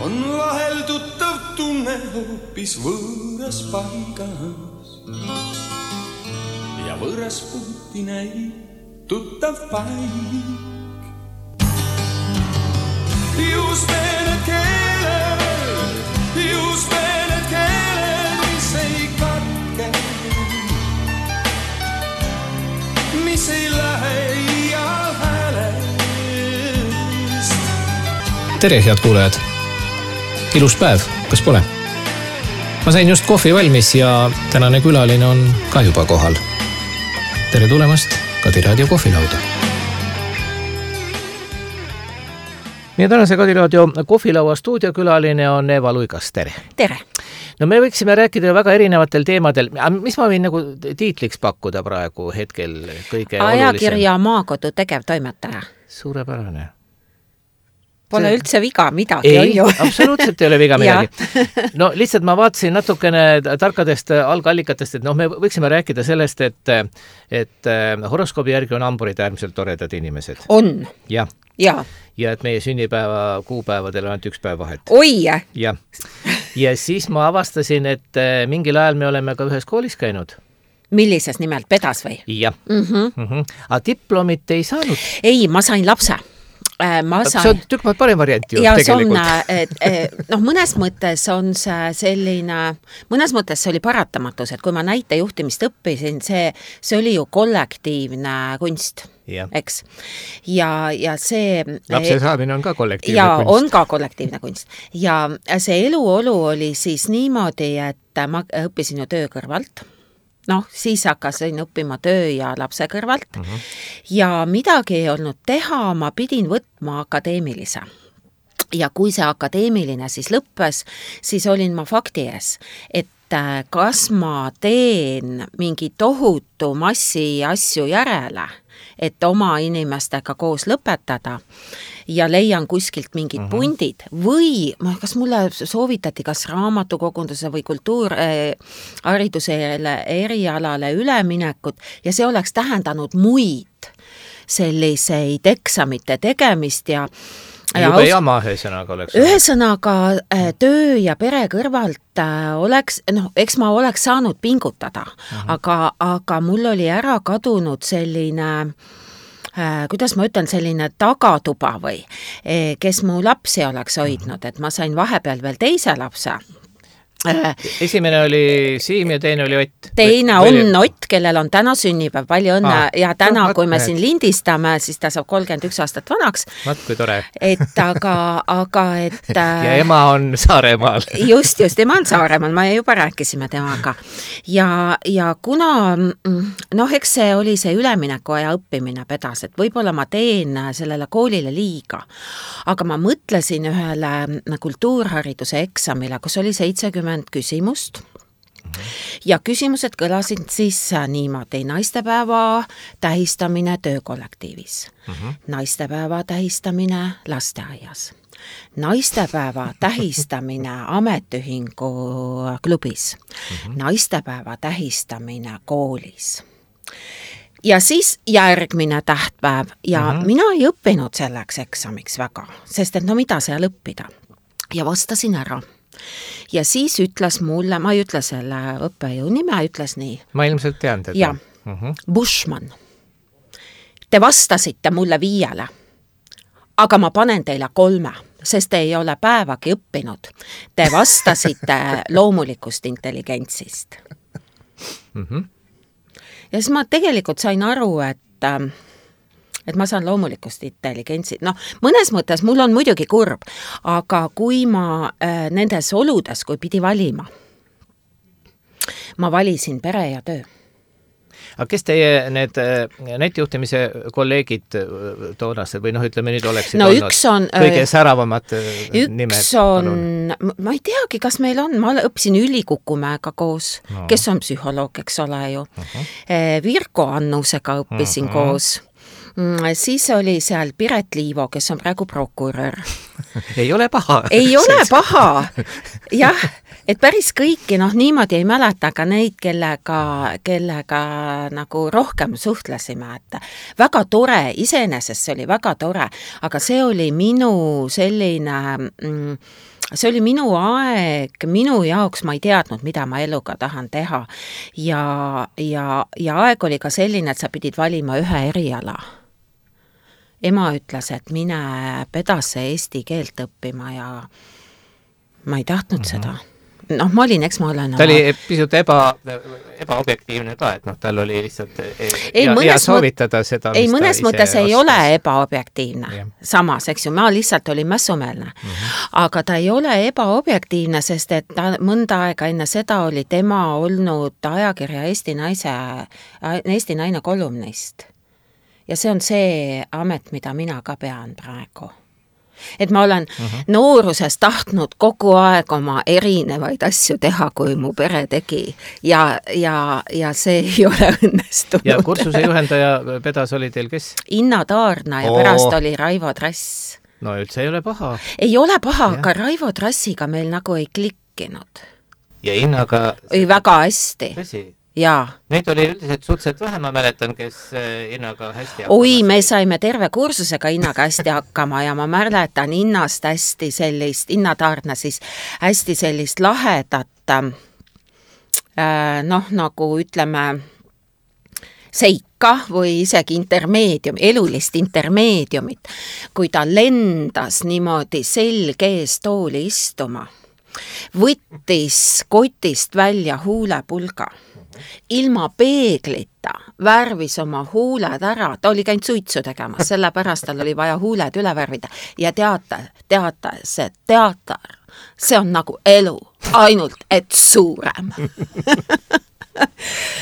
on vahel tuttav tunne hoopis võõras paigas. Ja võõras puuti näib tuttav paik. Just need keeled, mis ei katke, mis ei lähe iial häälest. Tere, head kuulajad! Ilus päev, kas pole? Ma sain just kohvi valmis ja tänane külaline on ka juba kohal. Tere tulemast Kadi Raadio kohvilauda! Meie tänase Kadi Raadio kohvilaua stuudiokülaline on Eva Luigas. Tere! Tere! No me võiksime rääkida väga erinevatel teemadel. Mis ma võin nagu tiitliks pakkuda praegu hetkel kõige olulisem? Ajakirja Maakodu tegevtoimetaja. Suurepärane. Pole üldse viga midagi. Ei, absoluutselt ei ole viga midagi. No lihtsalt ma vaatasin natukene tarkadest algallikatest, et me võiksime rääkida sellest, et horoskoobi järgi on hamburid äärmiselt toredad inimesed. On. Ja. Ja et meie sünnipäeva kuupäevadel on ainult üks päev vahet. Oi! Ja siis ma avastasin, et mingil ajal me oleme ka ühes koolis käinud. Millises nimelt? Pedas või? Jah. Aga diplomit ei saanud? Ei, ma sain lapse. See on tükk maad parem variant ju ja tegelikult. Mõnes mõttes on see selline, mõnes mõttes see oli paratamatus, et kui ma näitejuhtimist õppisin, see oli ju kollektiivne kunst, eks? Ja see... Lapse saamine on ka kollektiivne kunst. Ja on ka kollektiivne kunst. Ja see eluolu oli siis niimoodi, et ma õppisin ju töö kõrvalt. Siis hakkasin õppima töö ja lapse kõrvalt ja midagi ei olnud teha, ma pidin võtma akadeemilise. Ja kui see akadeemiline siis lõppes, siis olin ma fakti ees, et kas ma teen mingi tohutu massi asju järele, et oma inimestega koos lõpetada ja leian kuskilt mingid pundid või kas mulle soovitati kas raamatukogunduse või kultuurharidusele erialale üleminekut ja see oleks tähendanud muid selliseid eksamite tegemist ja juba jama ühesõnaga oleks. Ühesõnaga töö ja pere kõrvalt oleks, eks ma oleks saanud pingutada, aga mul oli ära kadunud selline, kuidas ma ütlen, selline tagatuba või, kes mu lapsi oleks hoidnud, et ma sain vahepeal veel teise lapse. Esimene oli Siim ja teine oli Ott. Teine on Ott, kellel on täna sünnipäev, palju õnne ja täna, kui me siin lindistame, siis ta saab 31 aastat vanaks. Vaat kui tore. Aga ja ema on Saaremaal. Just, ema on Saaremaal, ma juba rääkisime temaga. Ja kuna, eks see oli see ülemineku aja õppimine pedas, et võib-olla ma teen sellele koolile liiga, aga ma mõtlesin ühele kultuurhariduse eksamile, kus oli 70 küsimust ja küsimused kõlasid siis niimoodi: naistepäeva tähistamine töökollektiivis, naistepäeva tähistamine lasteaias, naistepäeva tähistamine ametiühingu klubis, naistepäeva tähistamine koolis. Ja siis järgmine tähtpäev ja mina ei õppinud selleks eksamiks väga, sest et mida seal õppida ja vastasin ära. Ja siis ütles mulle, ma ei ütle selle õppejõu nime, ütles nii. Ma ilmselt tean teda. Ja, Bushman. Te vastasite mulle 5, aga ma panen teile 3, sest te ei ole päevagi õppinud. Te vastasite loomulikust intelligentsist. Ja siis ma tegelikult sain aru, et ma saan loomulikust intelligentsit. Mõnes mõttes mul on muidugi kurb, aga kui ma nendes oludes, kui pidi valima, ma valisin pere ja töö. Aga kes teie need netijuhtimise kolleegid toonased või ütleme nüüd oleksid olnud kõige säravamad nimed? Üks on, ma ei teagi, kas meil on, ma õppisin Üli Kukumäega koos, kes on psühholoog, eks ole ju. Virko Annusega õppisin koos. Siis oli seal Piret Liivo, kes on praegu prokurör. Ei ole paha. Ei ole paha. Jah, et päris kõiki, niimoodi ei mäleta, aga neid, kellega nagu rohkem suhtlesime. Et väga tore, iseenesest see oli väga tore, aga see oli minu selline see oli minu aeg, minu jaoks ma ei teadnud, mida ma eluga tahan teha ja aeg oli ka selline, et sa pidid valima ühe eriala. Ema ütles, et mine pedasse eesti keelt õppima ja ma ei tahtnud seda. Noh, ma olin, eks ma olen... Ta oli pisut ebaobjektiivne ka, et tal oli lihtsalt hea soovitada seda, mis mõnes mõttes ei ole ebaobjektiivne. Samas, eks ju, ma lihtsalt olin mässumeelne. Aga ta ei ole ebaobjektiivne, sest et ta mõnda aega enne seda oli tema olnud ajakirja Eesti Naine kolumnist. Ja see on see amet, mida mina ka pean praegu. Et ma olen nooruses tahtnud kogu aeg oma erinevaid asju teha, kui mu pere tegi ja see ei ole õnnestunud. Ja kursuse juhendaja pedas oli teil kes? Inna Taarna ja pärast oli Raivo Trass. No üldse ei ole paha. Ei ole paha, aga Raivo Trassiga meil nagu ei klikkinud. Ja Innaga... Ei väga hästi. Tõsi? Jaa. Neid oli üldiselt suhteliselt vähe, ma mäletan, kes Innaga hästi hakkama. Oi, me saime terve kursusega Innaga hästi hakkama ja ma mäletan Innast hästi sellist, Inna Taarna siis hästi sellist lahedat, nagu ütleme, seika või isegi intermeedium, elulist intermeediumit, kui ta lendas niimoodi selge ees tooli istuma, võttis kotist välja huulepulga. Ilma peeglita värvis oma huuled ära, ta oli käinud suitsu tegemas, sellepärast tal oli vaja huuled üle värvida ja see teater, see on nagu elu, ainult et suurem.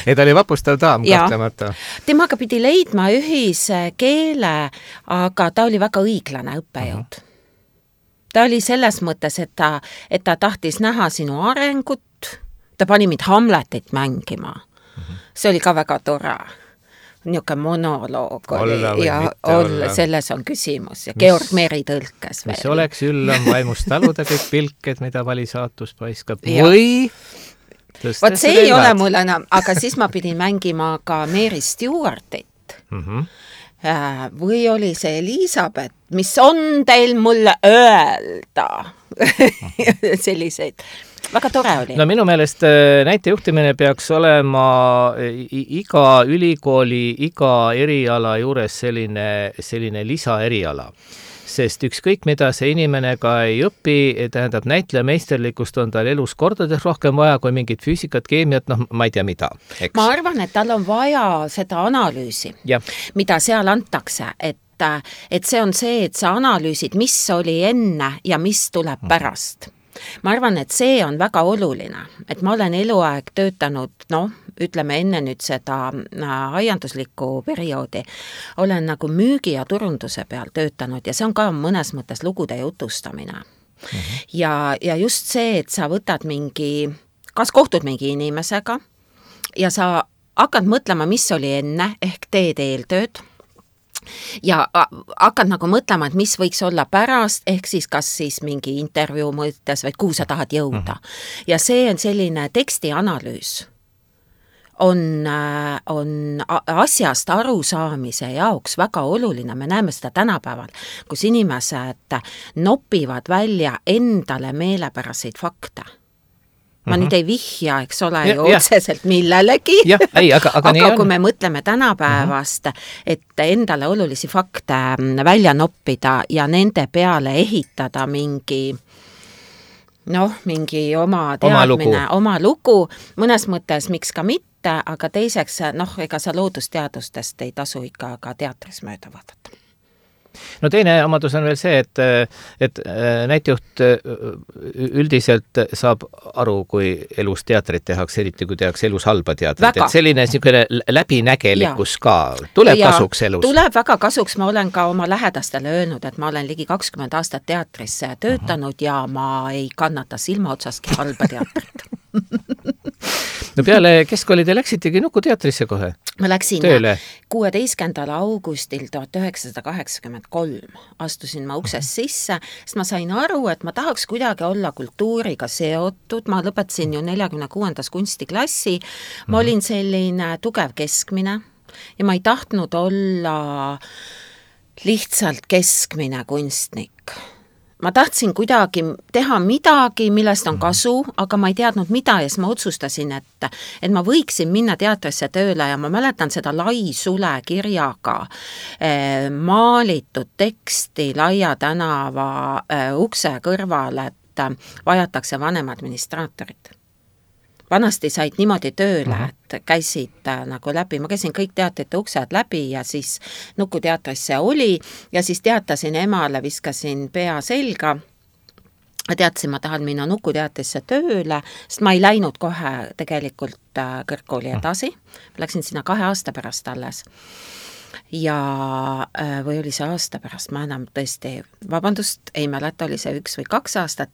Ja ta oli vapustav daam, kahtlemata. Temaga pidi leidma ühise keele, aga ta oli väga õiglane õppejõud. Ta oli selles mõttes, et ta tahtis näha sinu arengut, ta pani mind Hamletit mängima. See oli ka väga tore. Niuke monoloog oli ja selles on küsimus. Ja Georg Meri tõlkes veel. Mis oleks üllam vaimust taluda kõik pilked, mida vali saatus paiskab. Või... Vot see ei ole mul enam, aga siis ma pidin mängima ka Mary Stewartit. Või oli see Elisabeth, mis on teil mulle öelda? Selliseid. Väga tore oli. No minu meelest näitejuhtimine peaks olema iga ülikooli, iga eriala juures selline lisaeriala. Sest ükskõik, mida see inimene ka ei õpi, tähendab näitlejameisterlikkust on tal elus kordades rohkem vaja kui mingit füüsikat, keemiat, ma ei tea mida. Eks? Ma arvan, et tal on vaja seda analüüsi, mida seal antakse, et see on see, et sa analüüsid, mis oli enne ja mis tuleb pärast. Ma arvan, et see on väga oluline, et ma olen eluaeg töötanud, ütleme enne nüüd seda aianduslikku perioodi, olen nagu müügi ja turunduse peal töötanud ja see on ka mõnes mõttes lugude jutustamine. Ja just see, et sa võtad kas kohtud mingi inimesega ja sa hakkad mõtlema, mis oli enne, ehk teed eeltööd, ja hakkad nagu mõtlema, et mis võiks olla pärast, ehk siis kas siis mingi intervjuu mõttes või kuhu sa tahad jõuda. Ja see on selline tekstianalüüs. On asjast arusaamise jaoks väga oluline, me näeme seda tänapäeval, kus inimesed nopivad välja endale meelepäraseid fakte. Ma nüüd ei vihja, eks ole, ju otseselt millelegi, aga kui me mõtleme tänapäevast, et endale olulisi fakte välja noppida ja nende peale ehitada mingi oma teadmine, oma lugu, mõnes mõttes miks ka mitte, aga teiseks, ega sa loodusteadustest ei tasu ikka ka teatris mööda vaadata. No teine omadus on veel see, et näitejuht üldiselt saab aru, kui elus teatrit tehakse, eriti kui tehakse elus halba teatrit. Et selline läbinägelikkus ka tuleb kasuks elus. Tuleb väga kasuks, ma olen ka oma lähedastele öelnud, et ma olen ligi 20 aastat teatris töötanud ja ma ei kannata silma otsaski halba teatrit. No peale keskkooli te läksitegi Nukuteatrisse kohe? Ma läksin tööle. 16. augustil 1983. Astusin ma uksest sisse, sest ma sain aru, et ma tahaks kuidagi olla kultuuriga seotud. Ma lõpetasin ju 46. kunstiklassi. Ma olin selline tugev keskmine ja ma ei tahtnud olla lihtsalt keskmine kunstnik. ma tahtsin kuidagi teha midagi, millest on kasu, aga ma ei teadnud mida ja siis ma otsustasin, et ma võiksin minna teatrisse tööle ja ma mäletan seda Lai Sule kirjaga maalitud teksti Laia tänava ukse kõrval, et vajatakse vanem administraatorit. Vanasti said niimoodi tööle, et käisid nagu läbi, ma käisin kõik teatrite uksed läbi ja siis Nuku teatris see oli ja siis teatasin emale, viskasin pea selga. Teatasin, ma tahan minna Nuku teatrisse tööle, sest ma ei läinud kohe tegelikult kõrgkooli edasi. Läksin sinna 2 aasta pärast alles. Ja või oli see aasta pärast, ma enam tõesti, vabandust, ei mäleta, oli see 1 või 2 aastat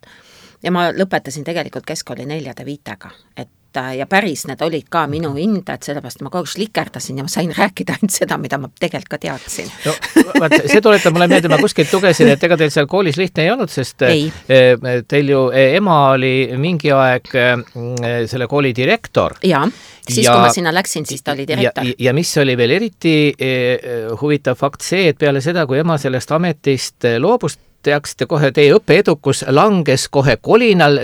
ja ma lõpetasin tegelikult keskkooli 4-5, et ja päris need olid ka minu hinded, sellepärast ma kogu slikerdasin ja ma sain rääkida ainult seda, mida ma tegelikult ka teadsin. No, see tuletab mulle meelde, ma kuskilt lugesin, et ega teil seal koolis lihtne ei olnud, sest ei. Teil ju ema oli mingi aeg selle kooli direktor. Jaa, siis kui ma sinna läksin, siis ta oli direktor. Ja mis oli veel eriti huvitav fakt see, et peale seda, kui ema sellest ametist loobust, teaksite kohe, teie õppeedukus langes kohe kolinal,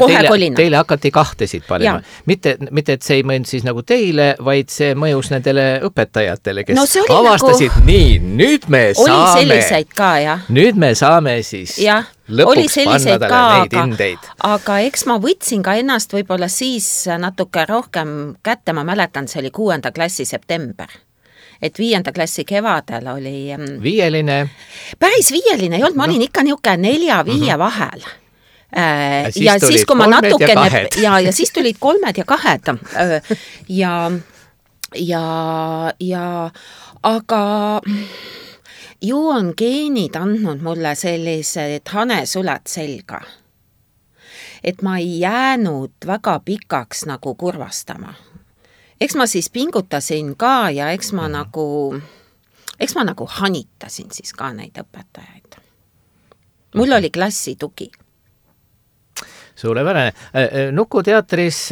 teile hakati 2 panema. Mitte, et see ei mõjunud siis nagu teile, vaid see mõjus nendele õpetajatele, kes avastasid, nii, nüüd me saame. Oli selliseid ka, jah. Nüüd me saame siis lõpuks panna talle neid hindeid. Aga eks ma võtsin ka ennast võib-olla siis natuke rohkem kätte, ma mäletan, see oli 6. klassi september. Et 5. klassi kevadel oli... Viieline? Päris viieline ei olnud, ma olin ikka niuke 4-5 vahel. Ja siis kui ma natukene... Ja siis tulid 3 ja 2. Ja aga ju on geenid andnud mulle sellised hanesuled selga. Et ma ei jäänud väga pikaks nagu kurvastama. Eks ma siis pingutasin ka ja eks ma nagu hanitasin siis ka neid õpetajaid. Mul oli klassi tugi. Suurepärane. Nuku teatris,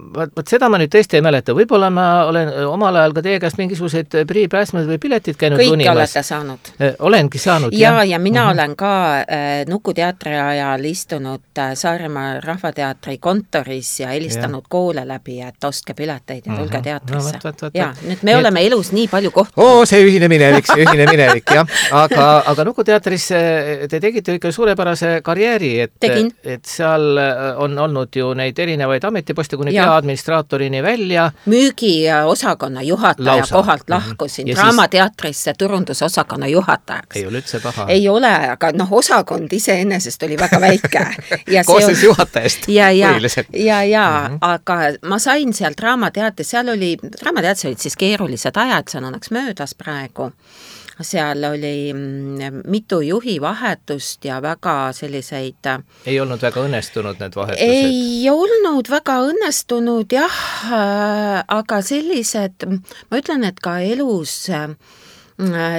võt seda ma nüüd tõesti ei mäleta, võib-olla ma olen omal ajal ka teie käest mingisuguseid priipääsmed või piletid käinud kõik unimas. Olete saanud. Olengi saanud, jah. Ja mina olen ka Nuku teatri ajal istunud Saaremaa Rahvateatri kontoris ja helistanud koole läbi, et ostke pileteid ja tulge teatrisse. Ja, nüüd me oleme elus nii palju kohta. See ühine minevik, jah. Aga Nuku teatris te tegite ikka suurepärase karjääri, et seal on olnud ju neid erinevaid ametiposte kuni peaadministraatorini välja. Müügiosakonna juhataja kohalt lahkusin Draamateatrisse turundusosakonna juhatajaks. Ei ole üldse paha. Ei ole, aga osakond iseenesest oli väga väike. Koostes juhatajast põhiliselt. Aga ma sain seal Draamateatris, Draamateatris olid siis keerulised ajad, see on õnneks möödas praegu. Seal oli mitu juhi vahetust ja väga selliseid... Ei olnud väga õnnestunud need vahetused? Ei olnud väga õnnestunud, jah, aga sellised, ma ütlen, et ka elus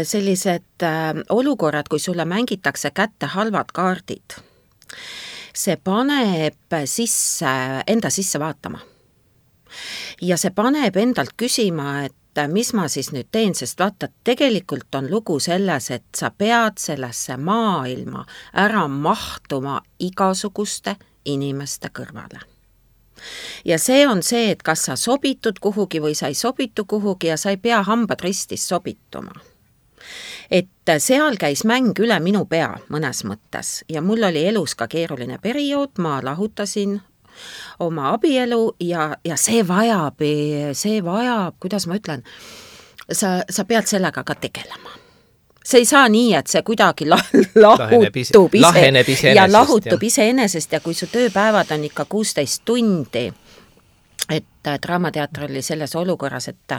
sellised olukorrad, kui sulle mängitakse kätte halvad kaardid, see paneb enda sisse vaatama. Ja see paneb endalt küsima, et mis ma siis nüüd teen, sest vaata, tegelikult on lugu selles, et sa pead sellesse maailma ära mahtuma igasuguste inimeste kõrvale. Ja see on see, et kas sa sobitud kuhugi või sa ei sobitu kuhugi ja sa ei pea hambad ristis sobituma. Et seal käis mäng üle minu pea mõnes mõttes ja mul oli elus ka keeruline periood, ma lahutasin oma abielu ja see vajab, kuidas ma ütlen, sa pead sellega ka tegelema. See ei saa nii, et see kuidagi lahutub iseenesest ja kui su tööpäevad on ikka 16 tundi, et Draamateatr oli selles olukorras, et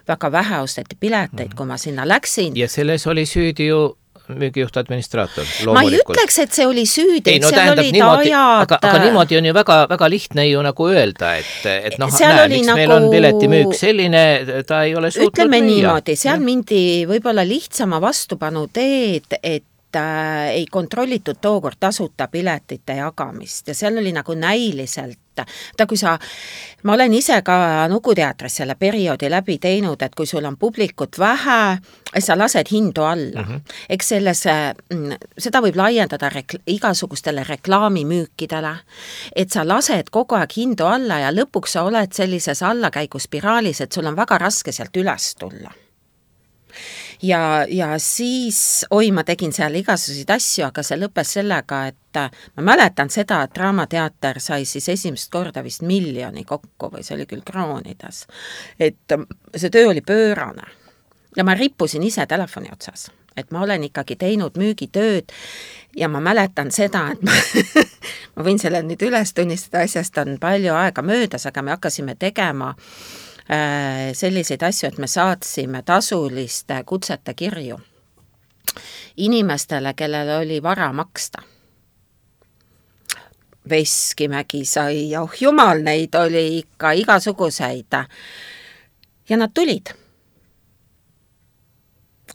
väga vähe osteti pileteid, kui ma sinna läksin. Ja selles oli süüdi ju müügijuht administraator, loomulikult. Ma ei ütleks, et see oli süüdi, seal olid ajad... Aga niimoodi on ju väga, väga lihtne ju nagu öelda, et miks meil on piletimüük selline, ta ei ole suutnud ütleme niimoodi, seal mindi võib-olla lihtsama vastupanu teed, et ei kontrollitud tookord tasuta piletite jagamist ja seal oli nagu näiliselt, ma olen ise ka Nukuteatris selle perioodi läbi teinud, et kui sul on publikut vähe, sa lased hindu alla. Eks seda võib laiendada igasugustele reklaamimüükidele, et sa lased kogu aeg hindu alla ja lõpuks sa oled sellises allakäiguspiraalis, et sul on väga raske sealt üles tulla. Ja siis, ma tegin seal igasuguseid asju, aga see lõppes sellega, et ma mäletan seda, et Draamateater sai siis esimest korda vist 1 miljoni kokku või see oli küll kroonides. Et see töö oli pöörane ja ma rippusin ise telefoni otsas, et ma olen ikkagi teinud müügitööd ja ma mäletan seda, et ma võin selle nüüd üles tunnistada, asjast on palju aega möödas, aga me hakkasime tegema selliseid asju, et me saatsime tasuliste kutsete kirju inimestele, kellel oli vara maksta. Veskimägi sai, jumal, neid oli ikka igasuguseid. Ja nad tulid.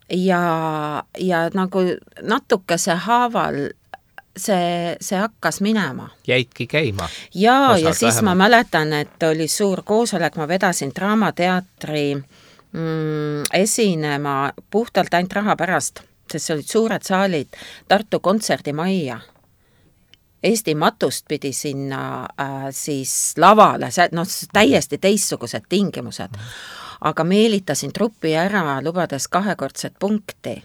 Ja nagu natukese haaval see hakkas minema. Jäidki käima? Ja siis vähemalt. Ma mäletan, et oli suur koosolek, ma vedasin Draamateatri esinema puhtalt ainult raha pärast, sest see olid suured saalid Tartu kontserdimajja. Eesti Matust pidi sinna siis lavale, täiesti teistsugused tingimused, aga meelitasin truppi ära, lubades 2-kordset punkti.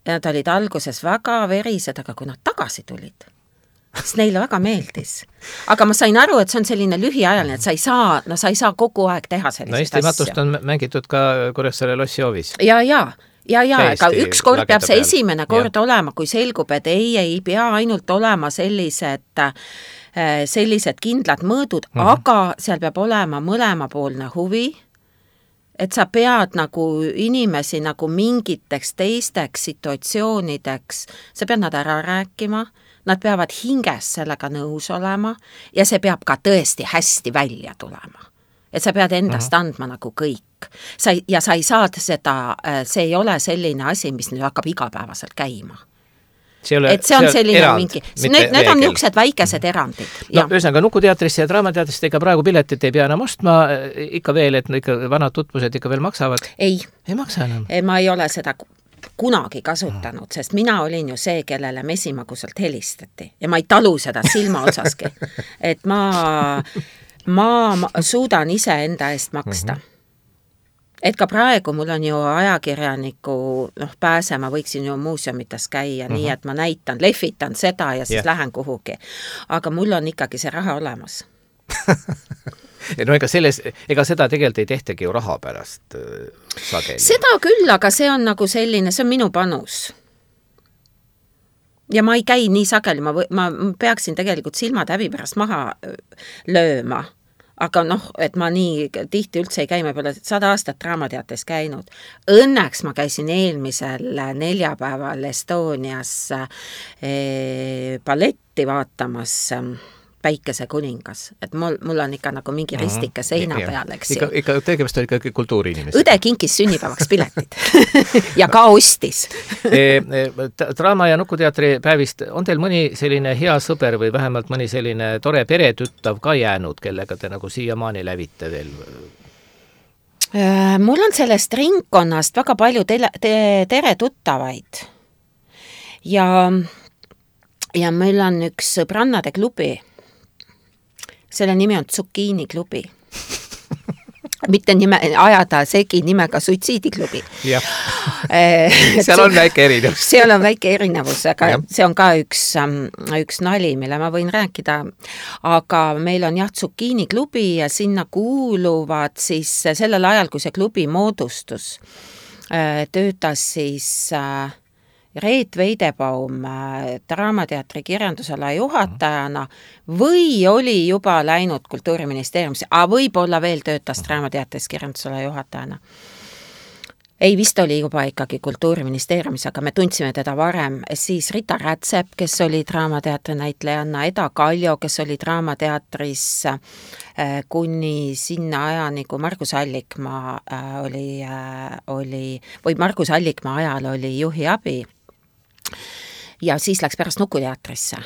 Ja nad olid alguses väga verised, aga kui nad tagasi tulid, siis neile väga meeldis. Aga ma sain aru, et see on selline lühiajaline, et sa ei saa kogu aeg teha selliseid asju. Eesti Matust on mängitud ka Kuressaare Lossihoovis. Ja, aga üks kord peab see esimene kord olema, kui selgub, et ei pea ainult olema sellised kindlad mõõdud, aga seal peab olema mõlemapoolne huvi, et sa pead nagu inimesi nagu mingiteks teisteks situatsioonideks, sa pead nad ära rääkima, nad peavad hinges sellega nõus olema ja see peab ka tõesti hästi välja tulema. Et sa pead endast andma nagu kõik. Sa ei saa seda, see ei ole selline asi, mis nüüd hakkab igapäevaselt käima. See on selline erand, mingi, need on niisugused väikesed erandid. No, ühesõnaga, Nukuteatrisse ja Draamateatrisse ega praegu piletit ei pea enam ostma, ikka veel, et ikka vanad tutvused ikka veel maksavad? Ei maksa enam? Ma ei ole seda kunagi kasutanud, sest mina olin ju see, kellele Mesimagusalt helistati ja ma ei talu seda silma otsaski. Et ma suudan ise enda eest maksta. Et ka praegu mul on ju ajakirjaniku pääsema, võiksin ju muuseumites käia, nii et ma näitan, lehvitan seda ja siis lähen kuhugi. Aga mul on ikkagi see raha olemas. No ega seda tegelikult ei tehtagi ju raha pärast sageli. Seda küll, aga see on nagu selline, see on minu panus. Ja ma ei käi nii sageli, ma peaksin tegelikult silmad häbi pärast maha lööma. Aga et ma nii tihti üldse ei käi, ma peale 100 aastat Draamateatris käinud. Õnneks ma käisin eelmisel neljapäeval Estonias balletti vaatamas Päikese kuningas. Et mul on ikka nagu mingi ristike seina peal, eks ju. Ikka tegemist oli ikka kultuuriinimest. Õde kinkis sünnipäevaks piletid ja ka ostis. Draama- ja Nukuteatri päevist on teil mõni selline hea sõber või vähemalt mõni selline tore peretüttav ka jäänud, kellega te nagu siiamaani lävite veel? Mul on sellest ringkonnast väga palju tere tuttavaid. Ja meil on üks sõbrannade klubi. Selle nimi on Zucchini klubi. Mitte ajada segi nimega suitsiidiklubi. Seal on väike erinevus. Seal on väike erinevus, aga see on ka üks nali, mille ma võin rääkida. Aga meil on Zucchini klubi ja sinna kuuluvad siis sellel ajal, kui see klubi moodustus, töötas siis Reet Veidebaum Draamateatri kirjandusala juhatajana või oli juba läinud Kultuuriministeeriumisse, aga võib-olla veel töötas Draamateatris kirjandusala juhatajana. Ei, vist oli juba ikkagi Kultuuriministeeriumis, aga me tundsime teda varem. Siis Rita Rätsep, kes oli Draamateatri näitlejanna, Eda Kaljo, kes oli Draamateatris kuni sinna ajani, kui Margus Allikmaa oli, või Margus Allikmaa ajal oli juhi abi. ja siis läks pärast Nukuteatrisse.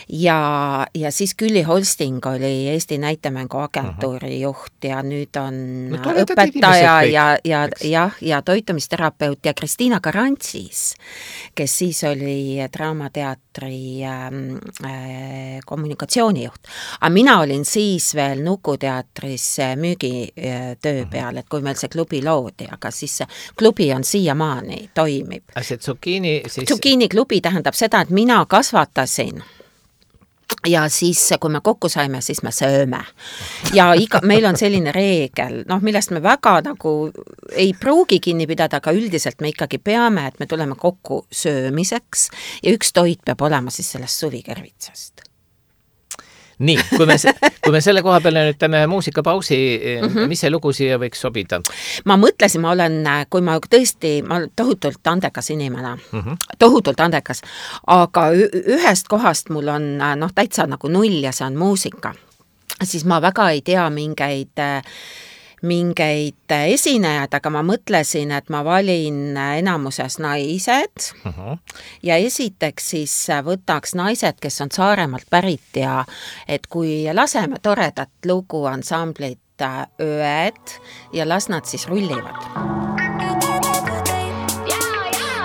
Ja siis Külli Holsting oli Eesti näitemängu agentuuri juht ja nüüd on õpetaja ja toitumisterapeut ja Kristiina Karantsis, kes siis oli Draamateatri kommunikatsioonijuht. Aga mina olin siis veel Nukuteatris müügitöö peal, et kui meil see klubi loodi, aga siis see klubi on siiamaani, toimib. See Zucchini klubi tähendab seda, et mina kasvatasin ja siis, kui me kokku saime, siis me sööme. Ja meil on selline reegel, millest me väga nagu ei pruugi kinni pidada, aga üldiselt me ikkagi peame, et me tuleme kokku söömiseks ja üks toit peab olema siis sellest suvikervitsast. Nii, kui me selle koha peale nüüd teeme muusikapausi, mis see lugu siia võiks sobida? Ma mõtlesin, ma tohutult andekas inimene, tohutult andekas, aga ühest kohast mul on täitsa nagu null ja see on muusika. Siis ma väga ei tea mingeid esinejad, aga ma mõtlesin, et ma valin enamuses naised ja esiteks siis võtaks naised, kes on Saaremaalt pärit ja et kui laseme toredat lugu ansamblit Ööd ja las nad siis rullivad.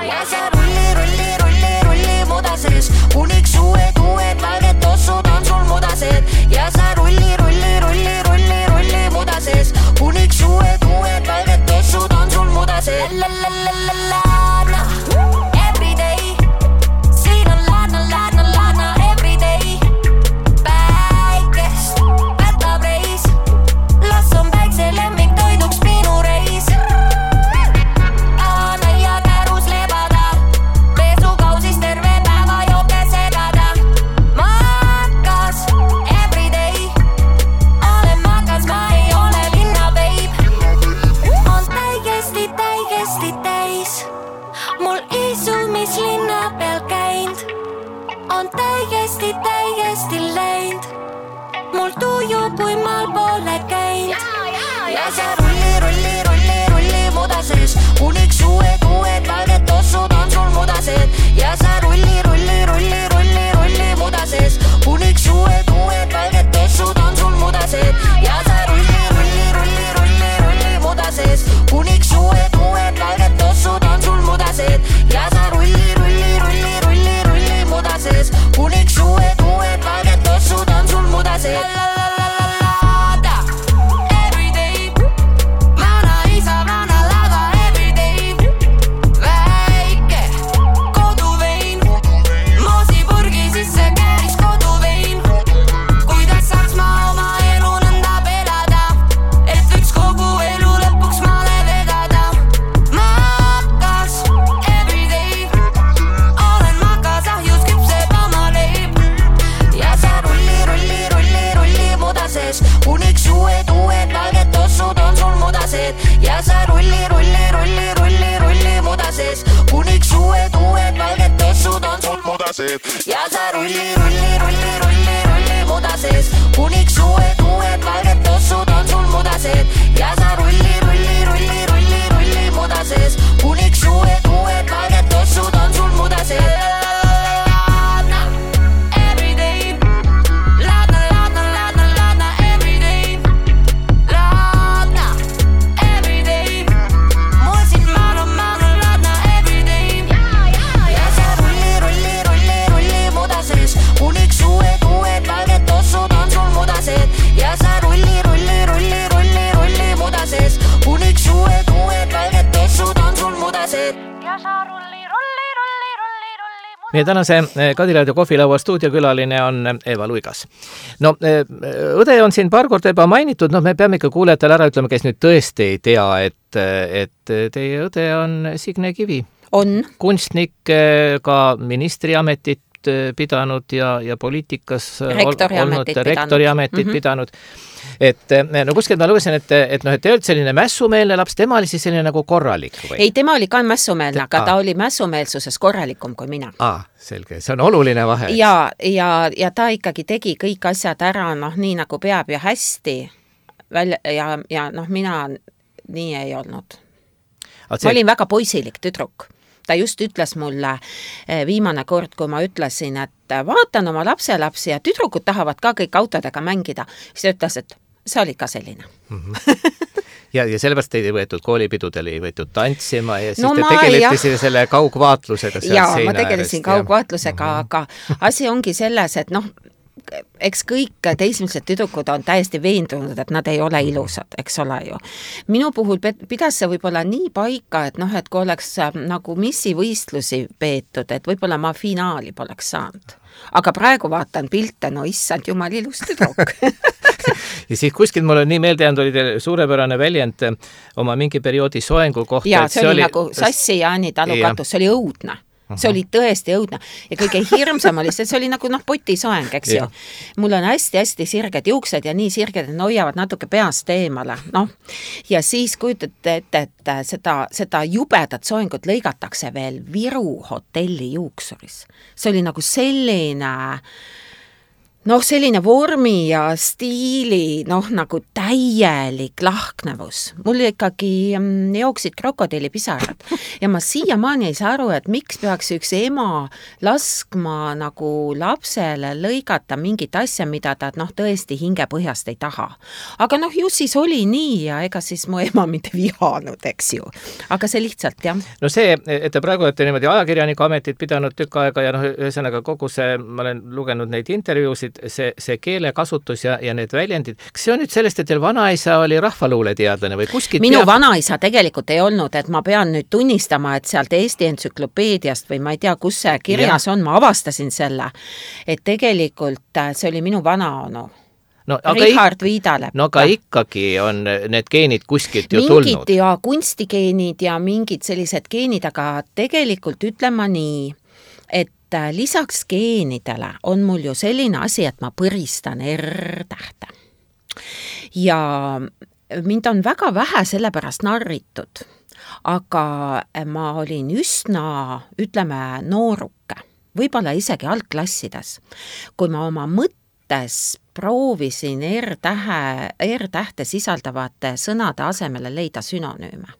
Ja sa rulli mudases, uniks uued valged tossud on sul mudased ja sa rulli mudases, uniks uued valged tossud on sul mudased. Laadna, everyday, siin on laadna, everyday, päikest, võtab reis, las on päikse lemmik toiduks minu reis. Aana ja kärus lebada, pesukausis terve päeva jope segada. Makas, everyday, olen makas, ma ei ole linna veib. On täigesti täis, mul isu, mis linna peal käind. On täigesti läind, mul tuju, kui maal pole käind. Ja sa rulli mudases, uniks uued valged tossud on sul mudased. Ja sa rulli mudases, uniks uued valged tossud on sul mudased. Ja sa rulli mudases, uniks uued valged tossud on sul mudased. Ja sa rulli mudases, uniks uued valged tossud on sul mudased. Ja sa rulli mudases, uniks uued valged tossud on sul mudased. Ja sa rulli mudases, uniks uued valged tossud on sul mudased. Ja sa rulli mudases, uniks uued valged tossud on sul mudased. Meie tänase Kadiraadio kohvilaua stuudiokülaline on Eva Luigas. No, õde on siin paar korda juba mainitud, me peame ikka kuulajatele ära ütlema, kes nüüd tõesti ei tea, et teie õde on Signe Kivi. On. Kunstnik, ka ministriametit pidanud ja poliitikas rektoriametit pidanud. Et no kuskilt ma lugesin, et te olete selline mässumeelne laps, tema oli siis selline nagu korralik või? Ei, tema oli ka mässumeelne, aga ta oli mässumeelsuses korralikum kui mina. Selge, see on oluline vahe. Ja ta ikkagi tegi kõik asjad ära, nii nagu peab ja hästi ja mina nii ei olnud. Ma olin väga poisilik tüdruk. ta just ütles mulle viimane kord, kui ma ütlesin, et vaatan oma lapselapsi ja tüdrukud tahavad ka kõik autodega mängida, siis ta ütles, et see oli ka selline. Ja sellepärast teid ei võetud koolipidudele, ei võetud tantsima ja siis te tegelete selle kaugvaatlusega. Ma tegelesin kaugvaatlusega, aga asi ongi selles, et eks kõik teismelised tüdrukud on täiesti veendunud, et nad ei ole ilusad, eks ole ju. Minu puhul pidas see võib-olla nii paika, et et kui oleks nagu missivõistlusi peetud, et võib-olla ma finaali poleks saanud. Aga praegu vaatan pilte, issand jumal ilus tüdruk. Ja siis kuskil mul on nii meelde jäänud, oli teil suurepärane väljend oma mingi perioodi soengu kohta. Ja see oli nagu Sassi Jaani talukatus, see oli õudne. See oli tõesti õudne ja kõige hirmsam oli see oli nagu potisoeng, eks ju. Mul on hästi-hästi sirged juuksed ja nii sirged, et hoiavad natuke peast eemale. Ja siis kujutate ette, et seda jubedat soengut lõigatakse veel Viru hotelli juuksuris. See oli nagu selline vormi ja stiili, nagu täielik lahknevus. Mul ikkagi jooksid krokodillipisarad ja ma siiamaani ei saa aru, et miks peaks üks ema laskma nagu lapsele lõigata mingit asja, mida ta tõesti hingepõhjast ei taha. Aga ju siis oli nii ja ega siis mu ema mind vihanud, eks ju. Aga see lihtsalt, jah. No see, et te praegu olete niimoodi ajakirjaniku ametit pidanud tükk aega ja ühesõnaga kogu see, ma olen lugenud neid intervjuusid, see keelekasutus ja need väljendid. Kas see on nüüd sellest, et teil vanaisa oli rahvaluuleteadlane või kuskilt? Minu vanaisa tegelikult ei olnud, et ma pean nüüd tunnistama, et sealt Eesti entsüklopeediast või ma ei tea, kus see kirjas on, ma avastasin selle, et tegelikult see oli minu vanaonu. Richard Viidalepp. Aga ikkagi on need geenid kuskilt ju tulnud. Mingid ja kunstigeenid ja mingid sellised geenid, aga tegelikult ütlema nii, et lisaks geenidele on mul ju selline asi, et ma põristan R-tähte. Ja mind on väga vähe sellepärast narritud, aga ma olin üsna, ütleme, nooruke, võib-olla isegi algklassides, kui ma oma mõttes proovisin R-tähte sisaldavate sõnade asemele leida sünonüüme.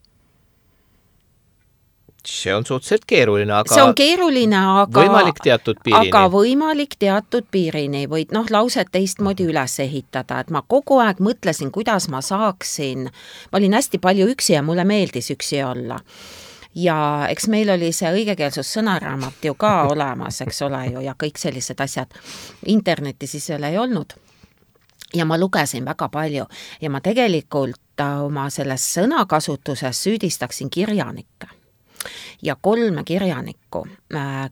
See on suhteliselt keeruline, aga see on keeruline, aga võimalik teatud piirini. Aga võimalik teatud piirini võid lauset teistmoodi üles ehitada, et ma kogu aeg mõtlesin, kuidas ma saaksin, ma olin hästi palju üksi ja mulle meeldis üksi olla. Ja eks meil oli see õigekeelsus sõnaraamat ju ka olemas, eks ole ju, ja kõik sellised asjad. Interneti siis veel ei olnud. Ja ma lugesin väga palju ja ma tegelikult oma selles sõnakasutuses süüdistaksin kirjanikke. Ja 3 kirjanikku,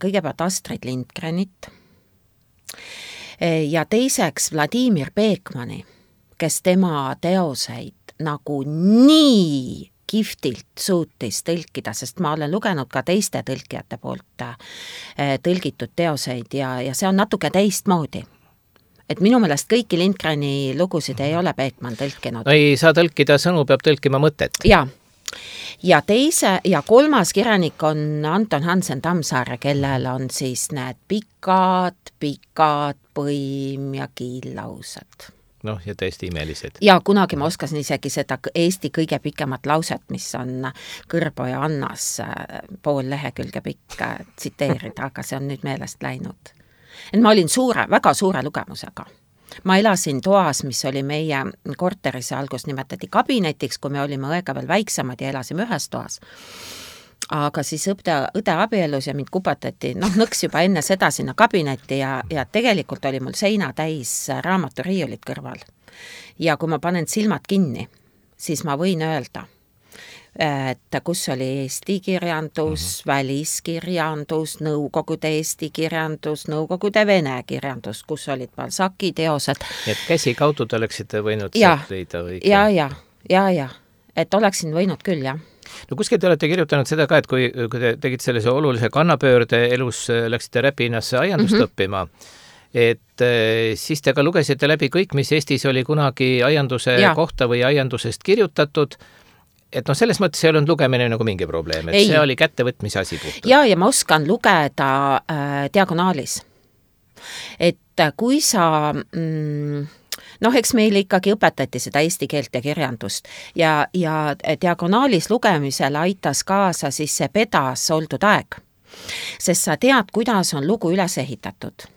kõigepealt Astrid Lindgrenit ja teiseks Vladimir Beekmani, kes tema teoseid nagu nii kihvtilt suutis tõlkida, sest ma olen lugenud ka teiste tõlkijate poolt tõlgitud teoseid ja see on natuke teistmoodi. Et minu meelest kõiki Lindgreni lugusid ei ole Beekman tõlkinud. No ei saa tõlkida sõnu, peab tõlkima mõtet. Ja 3. kirjanik on Anton Hansen Tammsaare, kellel on siis need pikad põim ja kiillaused. Ja tõesti imelised. Ja kunagi ma oskasin isegi seda Eesti kõige pikemat lauset, mis on Kõrboja Annas pool lehekülge pikk tsiteerida, aga see on nüüd meelest läinud. Et ma olin väga suure lugemusega. Ma elasin toas, mis oli meie korteris, algus nimetati kabinetiks, kui me olime õega veel väiksemad ja elasime ühes toas. Aga siis õde abielus ja mind kupatati, nõks juba enne seda sinna kabinetti ja tegelikult oli mul seina täis raamaturiiulit kõrval. Ja kui ma panen silmad kinni, siis ma võin öelda, et kus oli Eesti kirjandus, väliskirjandus, Nõukogude Eesti kirjandus, Nõukogude Vene kirjandus, kus olid Balzaci teosed. Et käsi kaudu te oleksite võinud sealt leida õige? Ja, et oleksin võinud küll, jah. No kuskil te olete kirjutanud seda ka, et kui te tegite sellise olulise kannapöörde elus, läksite Räpinasse aiandust õppima, et siis te ka lugesite läbi kõik, mis Eestis oli kunagi aianduse kohta või aiandusest kirjutatud. Et selles mõttes ei olnud lugemine nagu mingi probleem, et see oli kättevõtmise asi puhtalt. Ja ma oskan lugeda diagonaalis. Et kui sa noh, eks meile ikkagi õpetati seda eesti keelt ja kirjandust ja diagonaalis lugemisel aitas kaasa siis see pedas oldud aeg, sest sa tead, kuidas on lugu üles ehitatud.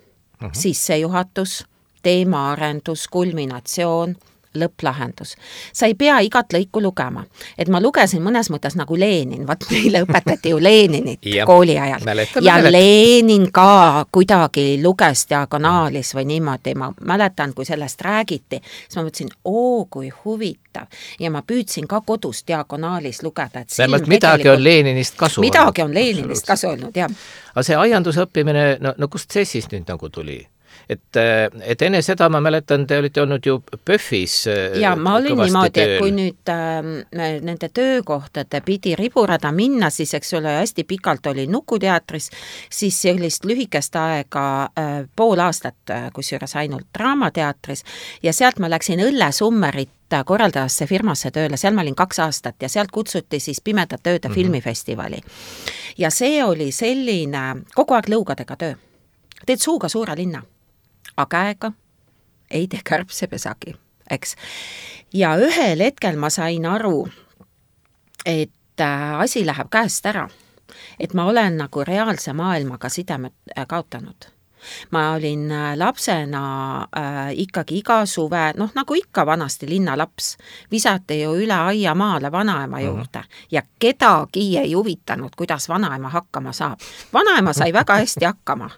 Sissejuhatus, teemaarendus, kulminatsioon, lõpplahendus. Sa ei pea igat lõiku lugema. Et ma lugesin mõnes mõttes nagu Lenin, vaat meile õpetati ju Leninit kooli ajal. Ja Lenin ka kuidagi luges diagonaalis või niimoodi. Ma mäletan, kui sellest räägiti, siis ma mõtlesin, kui huvitav. Ja ma püüdsin ka kodus diagonaalis lugeda. Midagi on Leninist kasu olnud. Midagi on Leninist kasu olnud, jah. Aga see aiandusõppimine, no kust see siis nüüd nagu tuli? Et enne seda ma mäletan, te olite olnud ju PÖFis ja ma olin niimoodi, et kui nüüd nende töökohtade pidi riburada minna, siis eks ole hästi pikalt oli Nukuteatris, siis sellist lühikest aega pool aastat, kusjuures ainult Draamateatris ja sealt ma läksin Õllesummerit korraldajasse firmasse tööle, seal ma olin 2 aastat ja sealt kutsuti siis Pimedate ööde filmifestivali. Ja see oli selline kogu aeg lõugadega töö. Teed suuga suure linna. Käega ei tee kärbsepesagi, eks. Ja ühel hetkel ma sain aru, et asi läheb käest ära, et ma olen nagu reaalse maailmaga sidemed kaotanud. Ma olin lapsena ikkagi iga suve, noh nagu ikka vanasti linnalaps, visati ju üle aia maale vanaema juurde ja kedagi ei huvitanud, kuidas vanaema hakkama saab. Vanaema sai väga hästi hakkama.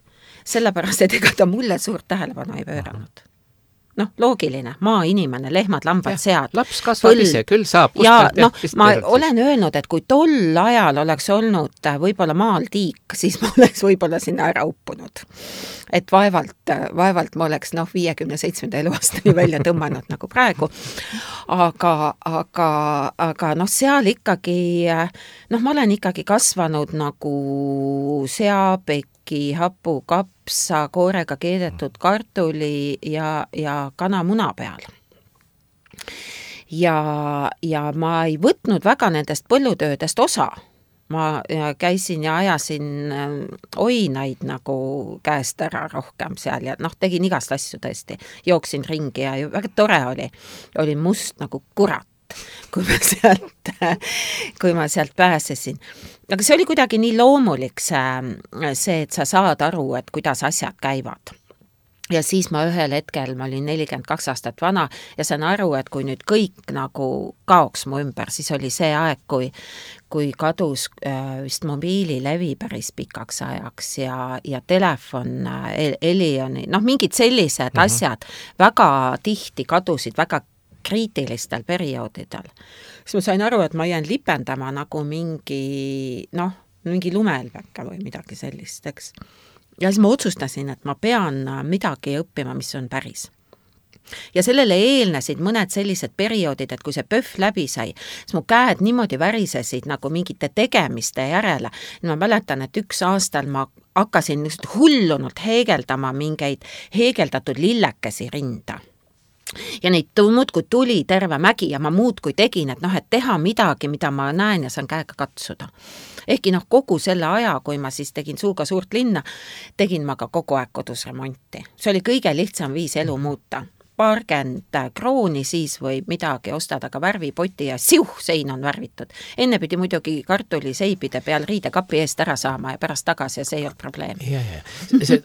Sellepärast, et ega ta mulle suurt tähelepanu ei pööranud. Noh, loogiline, maainimene, lehmad, lambad, sead. Laps kasvab ise, küll saab. Ja ma olen öelnud, et kui tol ajal oleks olnud võib-olla maal tiik, siis ma oleks võib-olla sinna ära uppunud. Et vaevalt ma oleks 57. eluaastani välja tõmmanud nagu praegu. Aga seal ikkagi, ma olen ikkagi kasvanud nagu seapekki, hapu, kapsa, koorega keedetud kartuli ja kanamuna peal. Ja ma ei võtnud väga nendest põllutöödest osa. Ma käisin ja ajasin oinaid nagu käest ära rohkem seal ja tegin igast asju tõesti. Jooksin ringi ja väga tore oli. Olin must nagu kurat, kui ma sealt pääsesin. Aga see oli kuidagi nii loomulik see, et sa saad aru, et kuidas asjad käivad. Ja siis ma ühel hetkel, ma olin 42 aastat vana ja sain aru, et kui nüüd kõik nagu kaoks mu ümber, siis oli see aeg, kui kadus vist mobiililevi päris pikaks ajaks ja telefon, Elioni, mingid sellised asjad väga tihti kadusid väga kriitilistel perioodidel. Siis ma sain aru, et ma jään lipendama nagu mingi lumeelväkke või midagi sellist, eks. Ja siis ma otsustasin, et ma pean midagi õppima, mis on päris. Ja sellele eelnesid mõned sellised perioodid, et kui see PÖF läbi sai, siis mu käed niimoodi värisesid nagu mingite tegemiste järele. Ma mäletan, et 1 aastal ma hakkasin hullunult heegeldama mingeid heegeldatud lillekesi rinda. Ja neid muudkui tuli terve mägi ja ma muudkui tegin, et teha midagi, mida ma näen ja saan käega katsuda. Ehkki kogu selle aja, kui ma siis tegin suuga suurt linna, tegin ma ka kogu aeg kodus remonti. See oli kõige lihtsam viis elu muuta. Paarkend krooni siis või midagi ostad, aga värvipoti ja sein on värvitud. Enne pidi muidugi kartuliseibide peal riidekapi eest ära saama ja pärast tagasi ja see ei olnud probleem.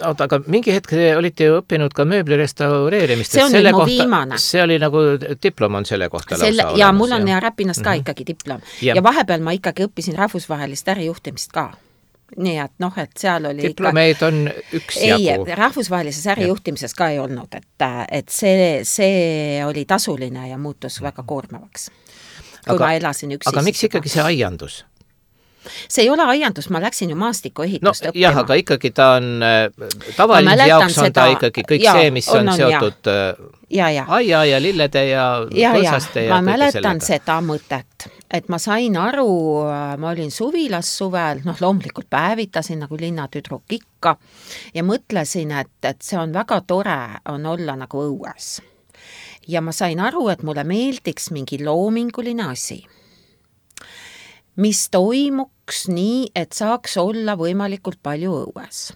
Aga mingi hetk olite ju õppinud ka mööbli restaureerimist. See on nüüd mu viimane. See oli nagu diplom on selle kohta lausa olemas. Ja mul on ja Räpinas ka ikkagi diplom. Ja vahepeal ma ikkagi õppisin rahvusvahelist ärijuhtimist ka. Nii et et seal oli diplomeid on üksjagu. Ei, rahvusvahelises ärijuhtimises ka ei olnud, et see oli tasuline ja muutus väga koormavaks, kui ma elasin üksi. Aga miks ikkagi see aiandus? See ei ole aiandus, ma läksin ju maastikuehitust õppima. Jah, aga ikkagi ta on tavaline jaoks on ta ikkagi kõik see, mis on seotud aia ja lillede ja põõsaste ja ma mäletan seda mõtet, et ma sain aru, ma olin suvilas suvel, loomulikult päevitasin nagu linnatüdruk ikka ja mõtlesin, et see on väga tore on olla nagu õues. Ja ma sain aru, et mulle meeldiks mingi loominguline asi, mis toimuks nii, et saaks olla võimalikult palju õues.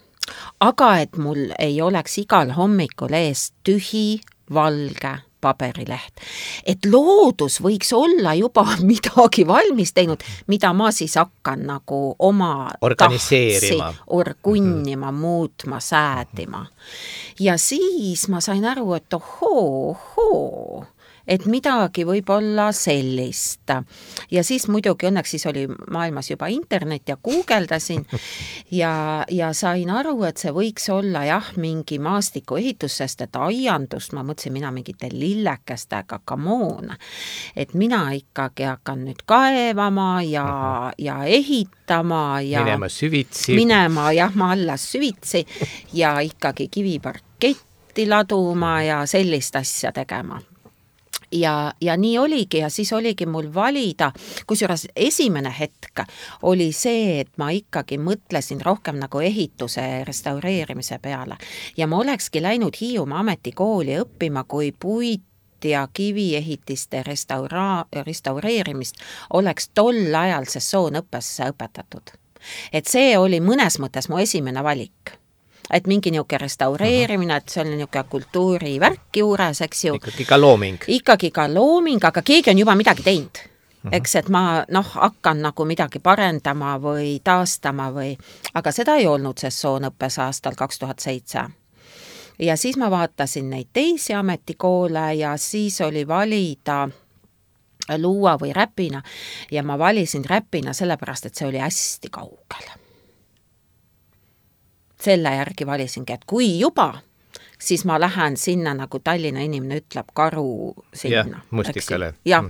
Aga et mul ei oleks igal hommikul ees tühi, valge paberileht. Et loodus võiks olla juba midagi valmis teinud, mida ma siis hakkan nagu oma organiseerima, orgunnima, muutma, säädima. Ja siis ma sain aru, et ohoo, et midagi võib olla sellist. Ja siis muidugi õnneks siis oli maailmas juba internet ja guugeldasin ja sain aru, et see võiks olla jah, mingi maastikuehitus, sest et aiandust ma mõtlesin mina mingite lillekestega, come on. Et mina ikkagi hakkan nüüd kaevama ja ehitama ja minema jah, ma alla süvitsi ja ikkagi kiviparketti laduma ja sellist asja tegema. Ja nii oligi ja siis oligi mul valida, kusjuures esimene hetk oli see, et ma ikkagi mõtlesin rohkem nagu ehituse restaureerimise peale ja ma olekski läinud Hiiumaa ametikooli õppima, kui puit ja kiviehitiste restaureerimist oleks tol ajal sessoonõppesse õpetatud. Et see oli mõnes mõttes mu esimene valik. Et mingi niuke restaureerimine, et see oli niuke kultuurivärk juures, eks ju. Ikkagi ka looming, aga keegi on juba midagi teinud. Eks, et ma hakkan nagu midagi parendama või taastama aga seda ei olnud sessoonõppes aastal 2007. Ja siis ma vaatasin neid teisi ametikoole ja siis oli valida Luua või Räpina ja ma valisin Räpina sellepärast, et see oli hästi kaugel. Selle järgi valisingi, et kui juba, siis ma lähen sinna, nagu Tallinna inimene ütleb, Karu sinna. Ja, Mustikale. Ja.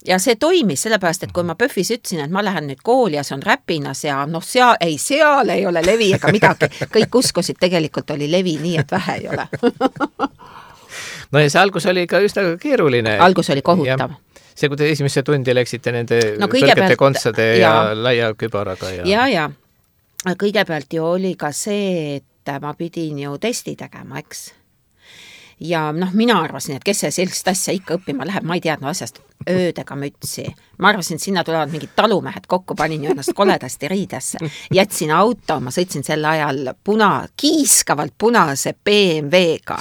Ja see toimis, sellepärast, et kui ma PÖFis ütlesin, et ma lähen nüüd kooli ja see on Räpinas ja seal ei ole levi ega midagi. Kõik uskusid, tegelikult oli levi nii, et vähe ei ole. No ja see algus oli ka üsna keeruline. Algus oli kohutav. Ja. See, kui te esimesse tundi läksite nende kõrgete kontsade ja laia kübaraga. Ja. Kõigepealt ju oli ka see, et ma pidin ju testi tegema, eks. Ja mina arvasin, et kes see sellist asja ikka õppima läheb, ma ei teadnud asjast öödega mütsi. Ma arvasin, et sinna tulevad mingid talumehed kokku, panin ju ennast koledasti riidesse. Jätsin auto, ma sõitsin sel ajal kiiskavalt punase BMW-ga.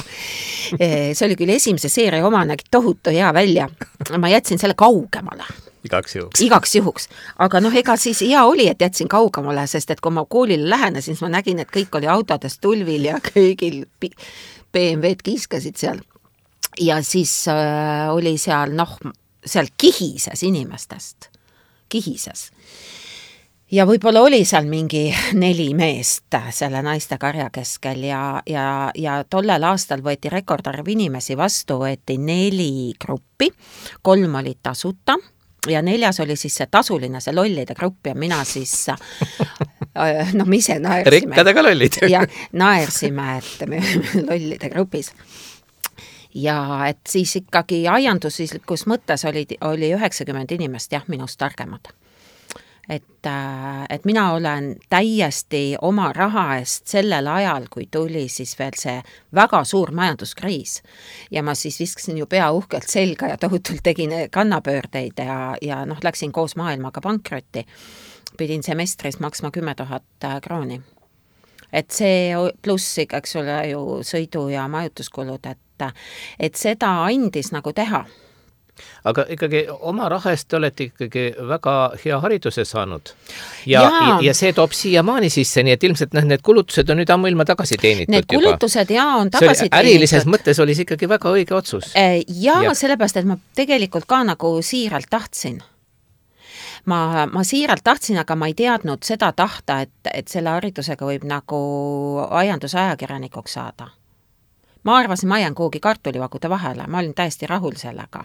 See oli küll esimese seeria oma, nägi tohutu hea välja. Ma jätsin selle kaugemale. Igaks juhuks. Aga ega siis hea oli, et jätsin kaugemale, sest et kui ma koolile lähenesin, siis ma nägin, et kõik oli autodes tulvil ja kõigil BMW-d kiiskasid seal. Ja siis oli seal, seal kihises inimestest. Kihises. Ja võib-olla oli seal mingi 4 meest selle naiste karja keskel ja tollel aastal võeti rekordarv inimesi vastu, võeti 4 gruppi, 3 oli tasuta ja 4 oli siis see tasuline, see lollide grupp ja mina siis me ise naersime. Rikkadega lollid. Ja naersime, et me lollide grupis. Ja et siis ikkagi aianduslikus mõttes oli 90 inimest minust targemad. Et mina olen täiesti oma raha eest sellel ajal, kui tuli siis veel see väga suur majanduskriis ja ma siis viskasin ju pea uhkelt selga ja tohutult tegin kannapöördeid ja läksin koos maailmaga pankrotti. Pidin semestris maksma 10 000 krooni. Et see pluss, eks ole ju sõidu ja majutuskulud, et seda andis nagu teha. Aga ikkagi oma rahast te olete ikkagi väga hea hariduse saanud ja see toob siiamaani sisse, nii et ilmselt need kulutused on nüüd ammuilma tagasi teenitud. Need kulutused on tagasi teenitud. Ärilises mõttes oli see ikkagi väga õige otsus. Ja sellepärast, et ma tegelikult ka nagu siiralt tahtsin. Ma siiralt tahtsin, aga ma ei teadnud seda tahta, et selle haridusega võib nagu aiandusajakirjanikuks saada. Ma arvasin, ma jään kuhugi kartulivagude vahele, ma olin täiesti rahul sellega.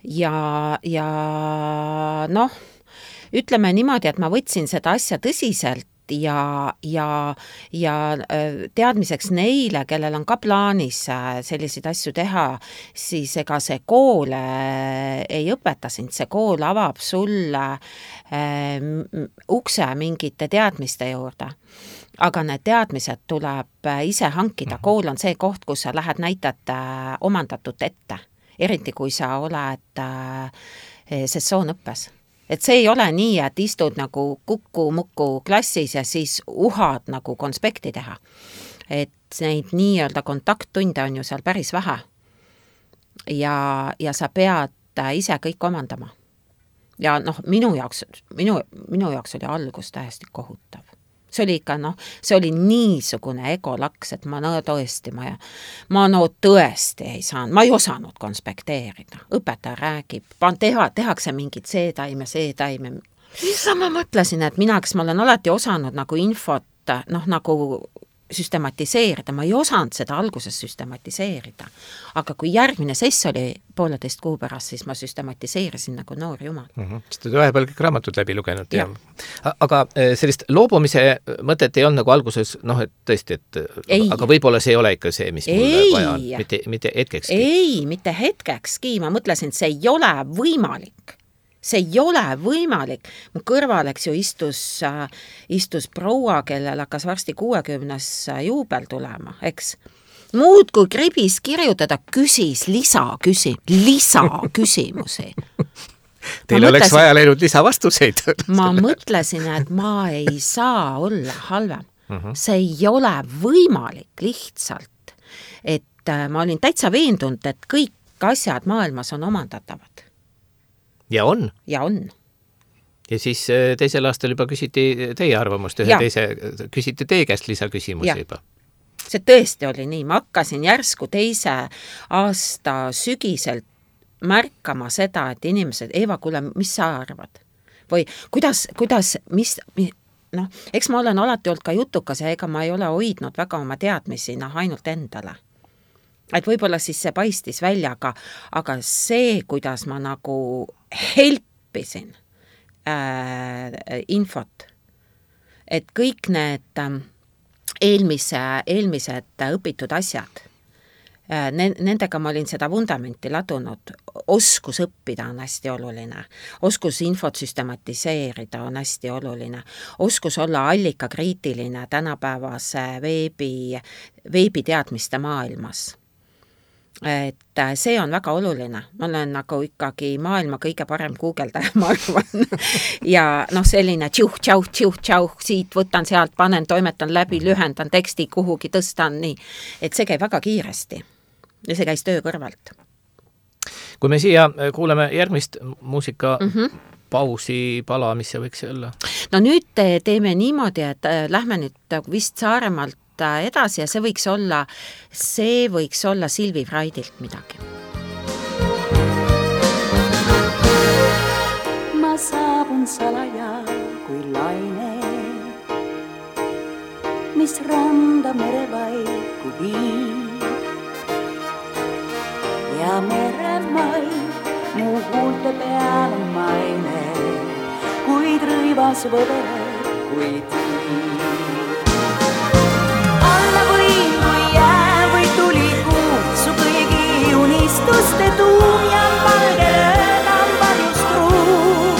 Ja ütleme niimoodi, et ma võtsin seda asja tõsiselt ja teadmiseks neile, kellel on ka plaanis selliseid asju teha, siis ega see kool ei õpeta sind, see kool avab sulle ukse mingite teadmiste juurde. Aga need teadmised tuleb ise hankida. Kool on see koht, kus sa lähed näitad omandatut ette, eriti kui sa oled sessoonõppes. Et see ei ole nii, et istud nagu kuku-muku klassis ja siis uhad nagu konspekti teha. et neid nii-öelda kontakttunde on ju seal päris vähe. Ja sa pead ise kõik omandama. Ja minu jaoks oli algus täiesti kohutav. See oli ikka, see oli niisugune egolaks, et ma tõesti ei saanud, ma ei osanud konspekteerida. Õpetaja räägib, tehakse mingid see taime. Siis ma mõtlesin, et kes ma olen alati osanud nagu infot, nagu süstematiseerida, ma ei osanud seda alguses süstematiseerida. Aga kui järgmine sess oli 1,5 kuu pärast, siis ma süstematiseerisin nagu noor jumal. Sest te vahepeal kõik raamatud läbi lugenud. Ja. Aga sellist loobumise mõtet ei olnud nagu alguses, et tõesti, aga võib-olla see ei ole ikka see, mis mulle vaja on, mitte hetkekski. Ei, mitte hetkekski, ma mõtlesin, et see ei ole võimalik. See ei ole võimalik. Mu kõrval, ju istus proua, kellel hakkas varsti 60 juubel tulema, eks. Muud kui kribis kirjutada, küsis lisaküsimusi. Teil oleks vaja läinud lisavastuseid. Ma mõtlesin, et ma ei saa olla halvem. See ei ole võimalik lihtsalt. Et ma olin täitsa veendunud, et kõik asjad maailmas on omandatavad. Ja on. Ja on. Ja siis teisel aastal juba küsiti teie arvamust, küsiti teie käest lisaküsimusi juba. See tõesti oli nii. Ma hakkasin järsku teise aasta sügiselt märkama seda, et inimesed, Eva, kuule, mis sa arvad? Või kuidas, eks ma olen alati olnud ka jutukas ja ega ma ei ole hoidnud väga oma teadmisi, ainult endale. Et võib-olla siis see paistis välja, aga see, kuidas ma nagu helpisin infot, et kõik need eelmised õpitud asjad, nendega ma olin seda vundamenti ladunud, oskus õppida on hästi oluline, oskus infot süstematiseerida on hästi oluline, oskus olla allikakriitiline tänapäevase veebiteadmiste maailmas. Et see on väga oluline. Ma olen nagu ikkagi maailma kõige parem guugeldaja, ma arvan. Ja selline tšauh, siit võtan sealt, panen, toimetan läbi, lühendan teksti kuhugi, tõstan nii. Et see käib väga kiiresti. Ja see käis töö kõrvalt. Kui me siia kuuleme järgmist muusika pausi pala, mis see võiks olla? No nüüd teeme niimoodi, et lähme nüüd vist Saaremaalt edasi ja see võiks olla Silvi Fraidilt midagi. Ma saabun salaja kui laine, mis randa merevaiku viib. Ja meremai mu huulte peal on maine, kuid rõivas võdele, kuid viib. Unistuste tuum ja valge rõõm varjus truu.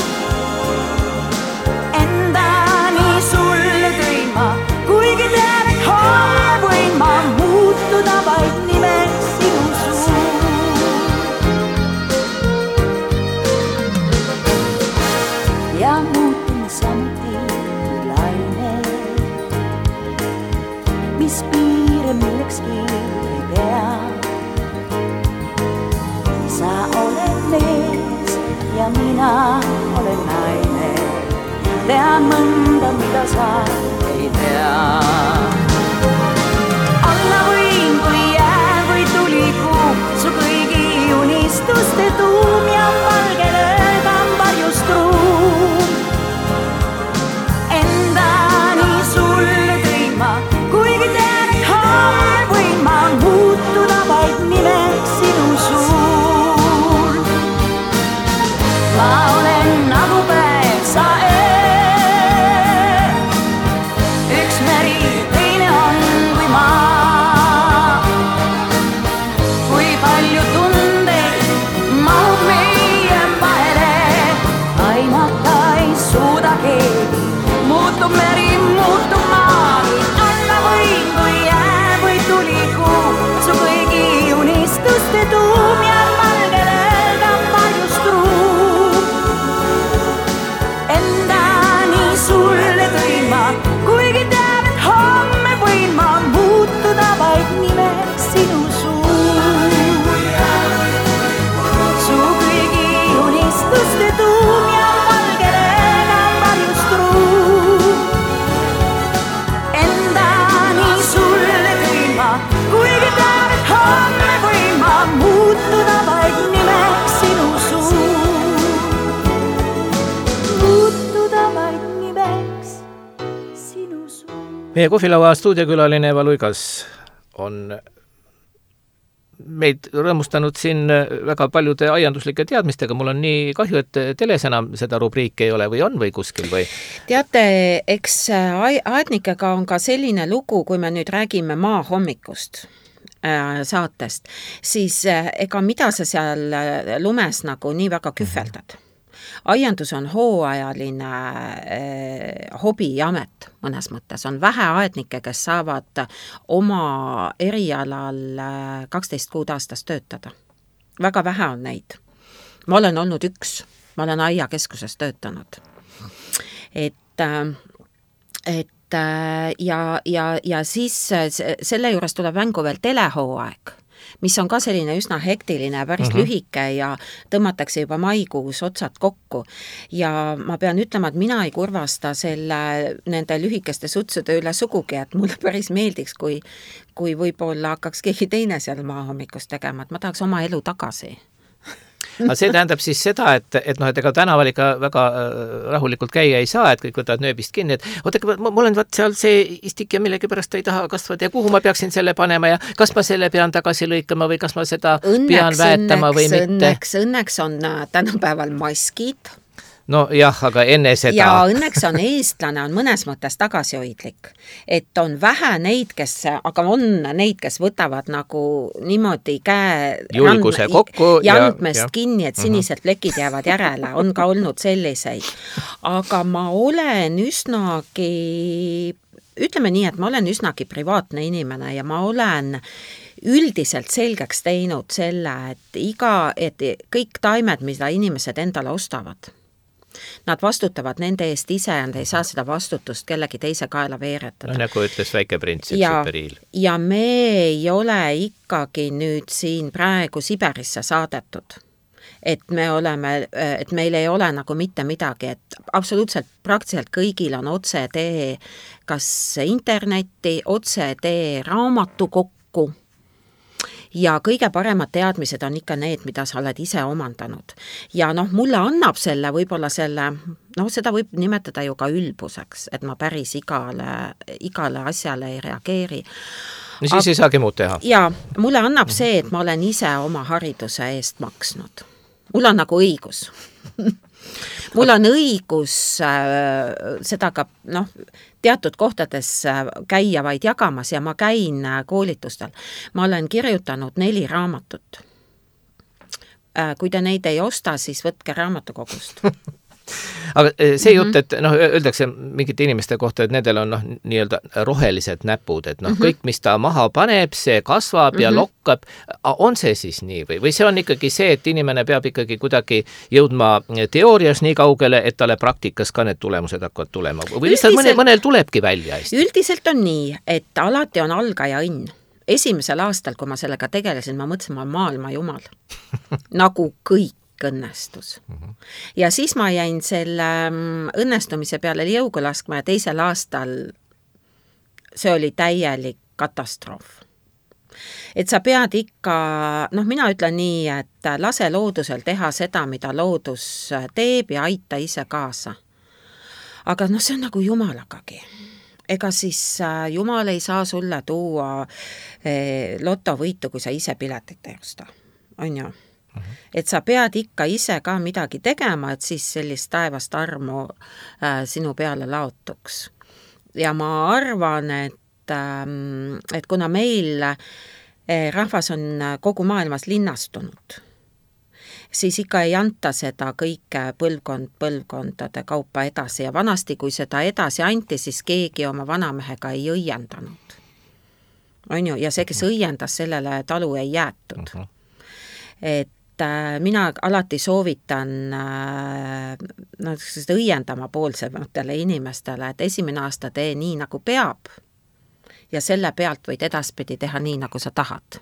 Endani sulle tõin ma, kuigi tean, et homme võin ma muutuda vaid nimeks sinu suu. Ja muutun samuti laine, mis piire millekski ei pea. Sa oled mees ja mina olen naine. Tean mõnda, mida sa ei tea. Olla võin, kui jää või tulikuu, su kõigi unistuste tuum ja valge rõõm varjus truu. Endani sulle tõin ma, kuigi tean, et homme võin ma muutuda vaid nimeks sinu suu. Ma olen nagu päev, sa öö. Üks meri, teine Meie kohvilaua stuudiokülaline Eva Luigas on meid rõõmustanud siin väga paljude aianduslike teadmistega. Mul on nii kahju, et teles enam seda rubriiki ei ole või on või kuskil või? Teate, eks aednikega on ka selline lugu, kui me nüüd räägime maa hommikust saatest, siis ega mida sa seal lumes nagu nii väga kühveldad. Aiandus on hooajaline hobiamet mõnes mõttes. On vähe aednikke, kes saavad oma erialal 12 kuud aastas töötada. Väga vähe on neid. Ma olen olnud üks. Ma olen aiakeskuses töötanud. Ja siis selle juures tuleb mängu veel telehooaeg, mis on ka selline üsna hektiline, päris lühike ja tõmmatakse juba maikuus otsad kokku. Ja ma pean ütlema, et mina ei kurvasta nende lühikeste sutsude üle sugugi, et mulle päris meeldiks, kui võib-olla hakkaks keegi teine seal maahommikust tegema, et ma tahaks oma elu tagasi. Aga see tähendab siis seda, et ega tänaval ikka väga rahulikult käia ei saa, et kõik võtavad nööbist kinni, et ma olen seal see istik ja millegi pärast ei taha kasvada ja kuhu ma peaksin selle panema ja kas ma selle pean tagasi lõikama või kas ma seda pean väetama või mitte. Õnneks on tänapäeval maskid. No jah, aga enne seda... Ja õnneks on eestlane on mõnes mõttes tagasihoidlik. Et on vähe neid, aga on neid, kes võtavad nagu niimoodi julguse kokku jandmest kinni, et sinised plekid jäävad järele. On ka olnud selliseid. Aga ma olen üsnagi, ütleme nii, et ma olen üsnagi privaatne inimene ja ma olen üldiselt selgeks teinud selle, et kõik taimed, mida inimesed endale ostavad, nad vastutavad nende eest ise ja nad ei saa seda vastutust kellegi teise kaela veeretada. No nagu ütles väike prints, Siperiil. Ja me ei ole ikkagi nüüd siin praegu Siberisse saadetud. Et meil ei ole nagu mitte midagi, et absoluutselt praktiliselt kõigil on otsetee kas internetti, otsetee raamatukokku. Ja kõige paremad teadmised on ikka need, mida sa oled ise omandanud. Ja mulle annab võib-olla seda võib nimetada ju ka ülbuseks, et ma päris igale asjale ei reageeri. No siis ei saagi muud teha. Ja mulle annab see, et ma olen ise oma hariduse eest maksnud. Mul on nagu õigus. Mul on õigus seda ka teatud kohtades käia vaid jagamas ja ma käin koolitustel. Ma olen kirjutanud 4 raamatut. Kui te neid ei osta, siis võtke raamatukogust. Aga see jutt, et öeldakse mingite inimeste kohta, et nendel on nii-öelda rohelised näpud, et kõik, mis ta maha paneb, see kasvab ja lokkab. On see siis nii või see on ikkagi see, et inimene peab ikkagi kuidagi jõudma teoorias nii kaugele, et talle praktikas ka need tulemused hakkavad tulema? Või lihtsalt mõnel tulebki välja hästi? Üldiselt on nii, et alati on algaja õnn. Esimesel aastal, kui ma sellega tegelesin, ma mõtlesin, ma maailma jumal. Nagu kõik õnnestus. Ja siis ma jäin selle õnnestumise peale jõuga laskma ja teisel aastal see oli täielik katastroof. Et sa pead ikka, mina ütlen nii, et lase loodusel teha seda, mida loodus teeb ja aita ise kaasa. Aga see on nagu jumalagagi. Ega siis jumal ei saa sulle tuua lotovõitu, kui sa ise piletit ei osta. On ju? Et sa pead ikka ise ka midagi tegema, et siis sellist taevast armu sinu peale laotuks. Ja ma arvan, et kuna meil rahvas on kogu maailmas linnastunud, siis ikka ei anta seda kõike põlvkondade kaupa edasi ja vanasti, kui seda edasi anti, siis keegi oma vanamehega ei õiendanud. On ju? Ja see, kes õiendas, sellele talu ei jäetud. Et mina alati soovitan õiendama poolsematele inimestele, et esimene aasta tee nii, nagu peab ja selle pealt võid edaspidi teha nii, nagu sa tahad.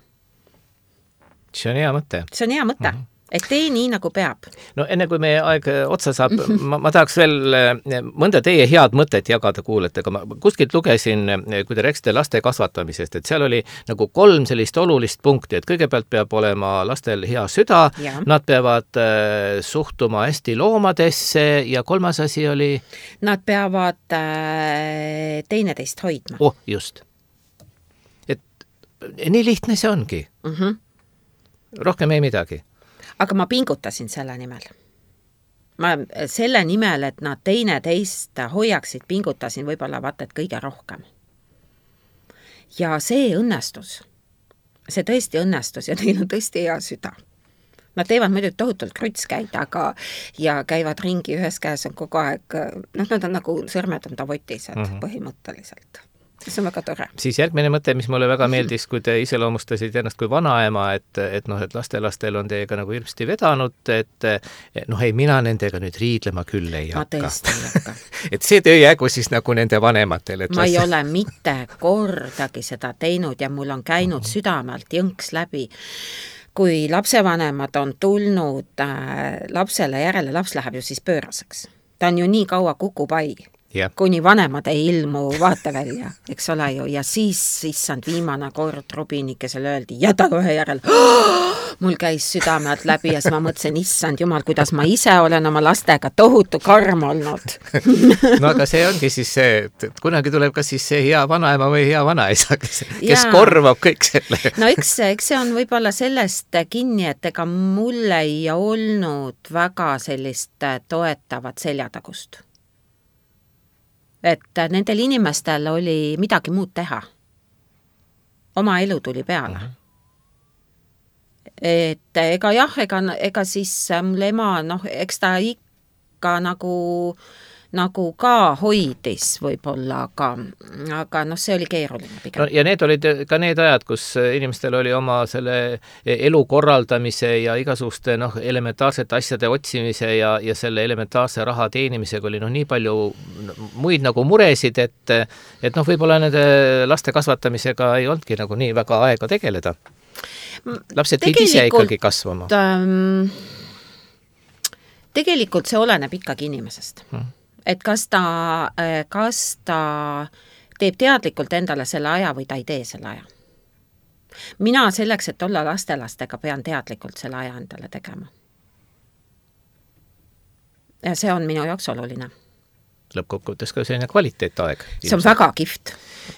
See on hea mõte. See on hea mõte. et tee nii, nagu peab. No enne kui meie aeg otsa saab, ma tahaks veel mõnda teie head mõtet jagada kuulajatega. Ma kuskilt lugesin, kui te rääkisite laste kasvatamisest, et seal oli nagu 3 sellist olulist punkti, et kõigepealt peab olema lastel hea süda, nad peavad suhtuma hästi loomadesse ja 3. asi oli? Nad peavad teineteist hoidma. Just. Et nii lihtne see ongi. Rohkem ei midagi. Aga ma pingutasin selle nimel. Ma selle nimel, et nad teineteist hoiaksid, pingutasin võib-olla vaata, et kõige rohkem. Ja see õnnestus. See tõesti õnnestus ja neil on tõesti hea süda. Nad teevad muidugi tohutult krutskäid, aga ja käivad ringi, ühes käes on kogu aeg, nad on nagu sõrmed on tavotised põhimõtteliselt. See on väga tore. Siis järgmine mõte, mis mulle väga meeldis, kui te iseloomustasid ennast kui vanaema, et lastelastel on teiega nagu hirmsti vedanud, et ei, mina nendega nüüd riidlema küll ei hakka. Ma tõesti ei hakka. Et see töö jäägu siis nagu nende vanematel. Ma ei ole mitte kordagi seda teinud ja mul on käinud südamelt jõnks läbi. Kui lapsevanemad on tulnud lapsele järele, laps läheb ju siis pööraseks. Ta on ju nii kaua kukupai. Kuni vanemad ei ilmu vaata välja, eks ole ju, ja siis issand viimane kord Rubinikesele öeldi, jäta ühe järel, mul käis südamealt läbi ja siis ma mõtlesin, issand jumal, kuidas ma ise olen oma lastega tohutu karm olnud. No aga see ongi siis see, et kunagi tuleb kas siis see hea vanaema või hea vanaisa, kes korvab kõik selle. No eks see on võib-olla sellest kinni, et ega mul ei olnud väga sellist toetavat seljatagust. Et nendel inimestel oli midagi muud teha. Oma elu tuli peale. Et ega siis mul ema, eks ta ikka nagu ka hoidis võib-olla, aga see oli keeruline pigem. Ja need olid ka need ajad, kus inimestel oli oma selle elu korraldamise ja igasuguste elementaarsete asjade otsimise ja selle elementaarse raha teenimisega oli nii palju muid nagu muresid, et võib-olla nende laste kasvatamisega ei olnudki nagu nii väga aega tegeleda. Lapsed pidi ise ikkagi kasvama. Tegelikult see oleneb ikkagi inimesest. Et kas ta teeb teadlikult endale selle aja või ta ei tee selle aja. Mina selleks, et olla lastelastega, pean teadlikult selle aja endale tegema. Ja see on minu jaoks oluline. Lõppkokkuvõttes ka selline kvaliteetaeg. See on väga kihvt.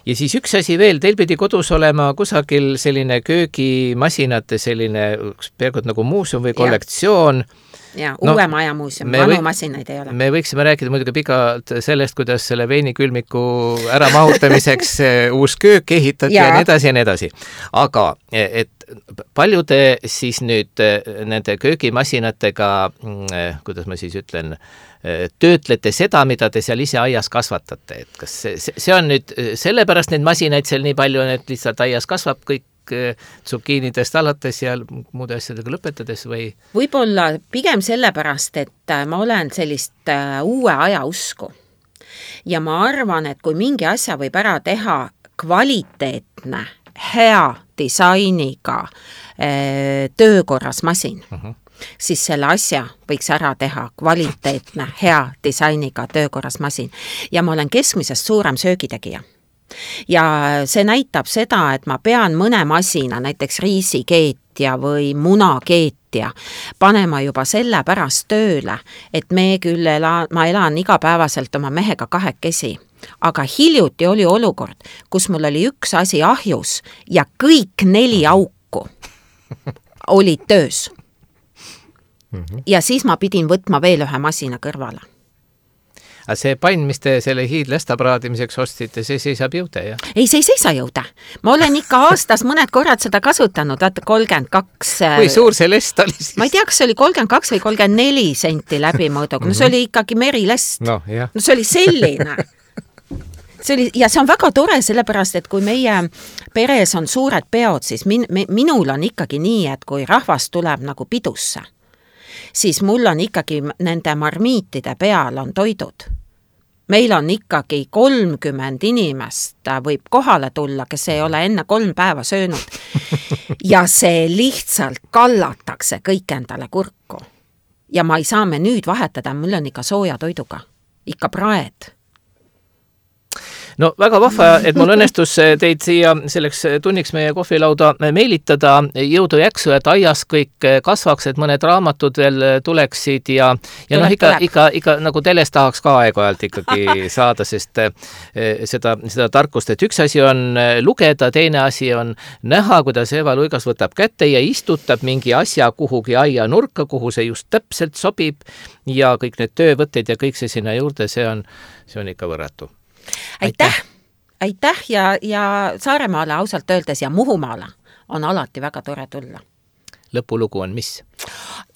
Ja siis üks asi veel, teil pidi kodus olema kusagil selline köögimasinate selline peaaegu nagu muuseum või kollektsioon. Ja, uue maja muuseum, vanu masinaid ei ole. Me võiksime rääkida muidugi pikalt sellest, kuidas selle veinikülmiku ära mahutamiseks uus köök ehitati ja nii edasi ja nii edasi. Aga et palju te siis nüüd nende köögimasinatega, kuidas ma siis ütlen, töötlete seda, mida te seal ise aias kasvatate. Et kas see on nüüd sellepärast neid masinaid seal nii palju, et lihtsalt aias kasvab kõik tsukiinidest alates ja muude asjadega lõpetades või? Võib-olla pigem sellepärast, et ma olen sellist uue aja usku. Ja ma arvan, et kui mingi asja võib ära teha kvaliteetne, hea disainiga töökorras masin, siis selle asja võiks ära teha kvaliteetne, hea disainiga töökorras masin. Ja ma olen keskmisest suurem söögitegija. Ja see näitab seda, et ma pean mõne masina, näiteks riisikeetja või munakeetja, panema juba selle pärast tööle, et ma elan igapäevaselt oma mehega kahekesi. Aga hiljuti oli olukord, kus mul oli üks asi ahjus ja kõik 4 auku olid töös. Ja siis ma pidin võtma veel ühe masina kõrvale. Aga see pann, mis te selle hiidlesta praadimiseks ostsite, see seisab jõude, jah? Ei, see ei seisa jõude. Ma olen ikka aastas mõned korrad seda kasutanud, vaata 32... Kui suur see lest oli siis? Ma ei tea, kas see oli 32 või 34 senti läbimõõduga. No see oli ikkagi merilest. No see oli selline. Ja see on väga tore, sellepärast, et kui meie peres on suured peod, siis minul on ikkagi nii, et kui rahvas tuleb nagu pidusse, siis mul on ikkagi nende marmiitide peal on toidud. Meil on ikkagi 30 inimest võib kohale tulla, kes ei ole enne 3 päeva söönud. ja see lihtsalt kallatakse kõik endale kurku. Ja ma ei saa menüüd vahetada, mul on ikka sooja toiduga, ikka praed. No väga vahva, et mul õnnestus teid siia selleks tunniks meie kohvilauda meelitada, jõudu jaksu, et aias kõik kasvaks, et mõned raamatud veel tuleksid ja noh, ikka nagu teles tahaks ka aeg-ajalt ikkagi saada, sest seda tarkust, et üks asi on lugeda, teine asi on näha, kuidas Eva Luigas võtab kätte ja istutab mingi asja kuhugi aia nurka, kuhu see just täpselt sobib ja kõik need töövõtted ja kõik see sinna juurde, see on ikka võrratu. Aitäh ja Saaremaale ausalt öeldes ja Muhumaale on alati väga tore tulla. Lõpulugu on mis?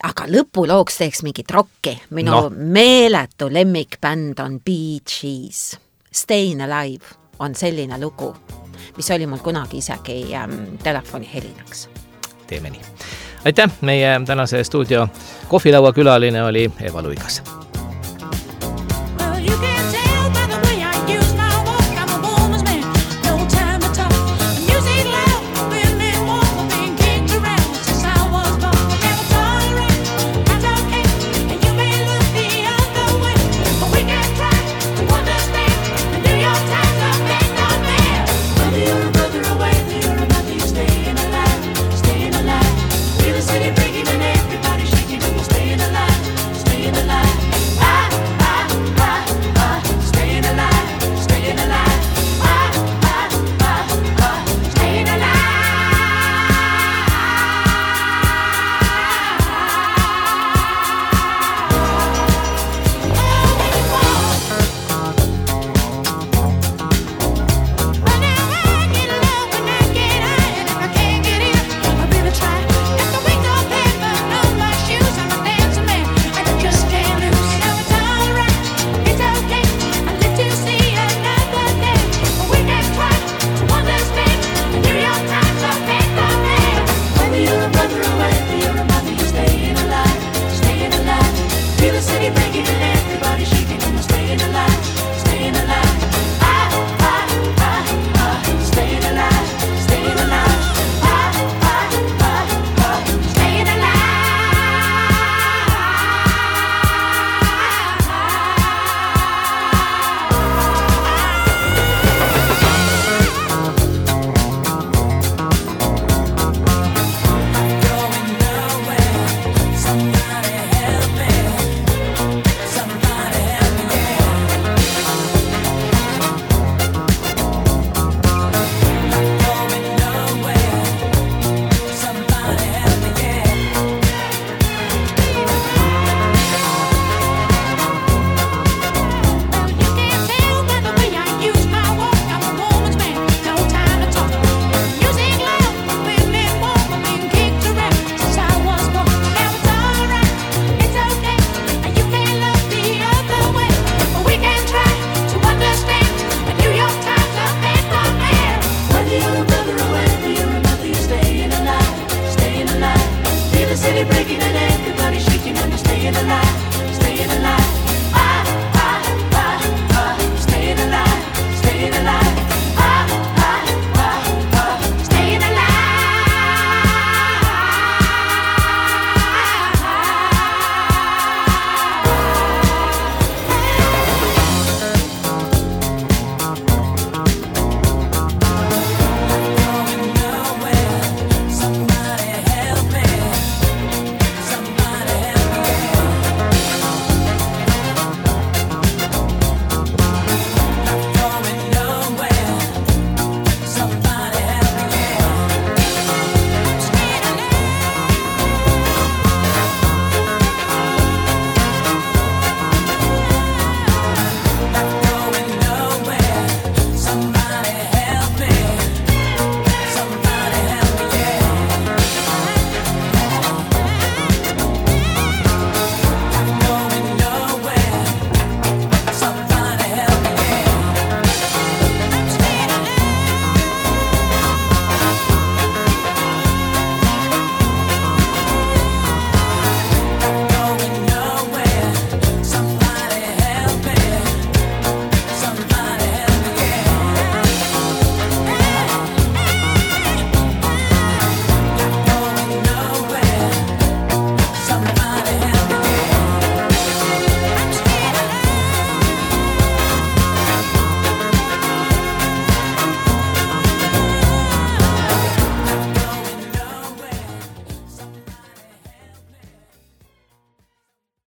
Aga lõpulooks teeks mingit rocki. Minu meeletu lemmikbänd on Bee Gees. Stayin' Alive on selline lugu, mis oli mul kunagi isegi telefoni helinaks. Teeme nii. Aitäh, meie tänase stuudio kohvilaua külaline oli Eva Luigas.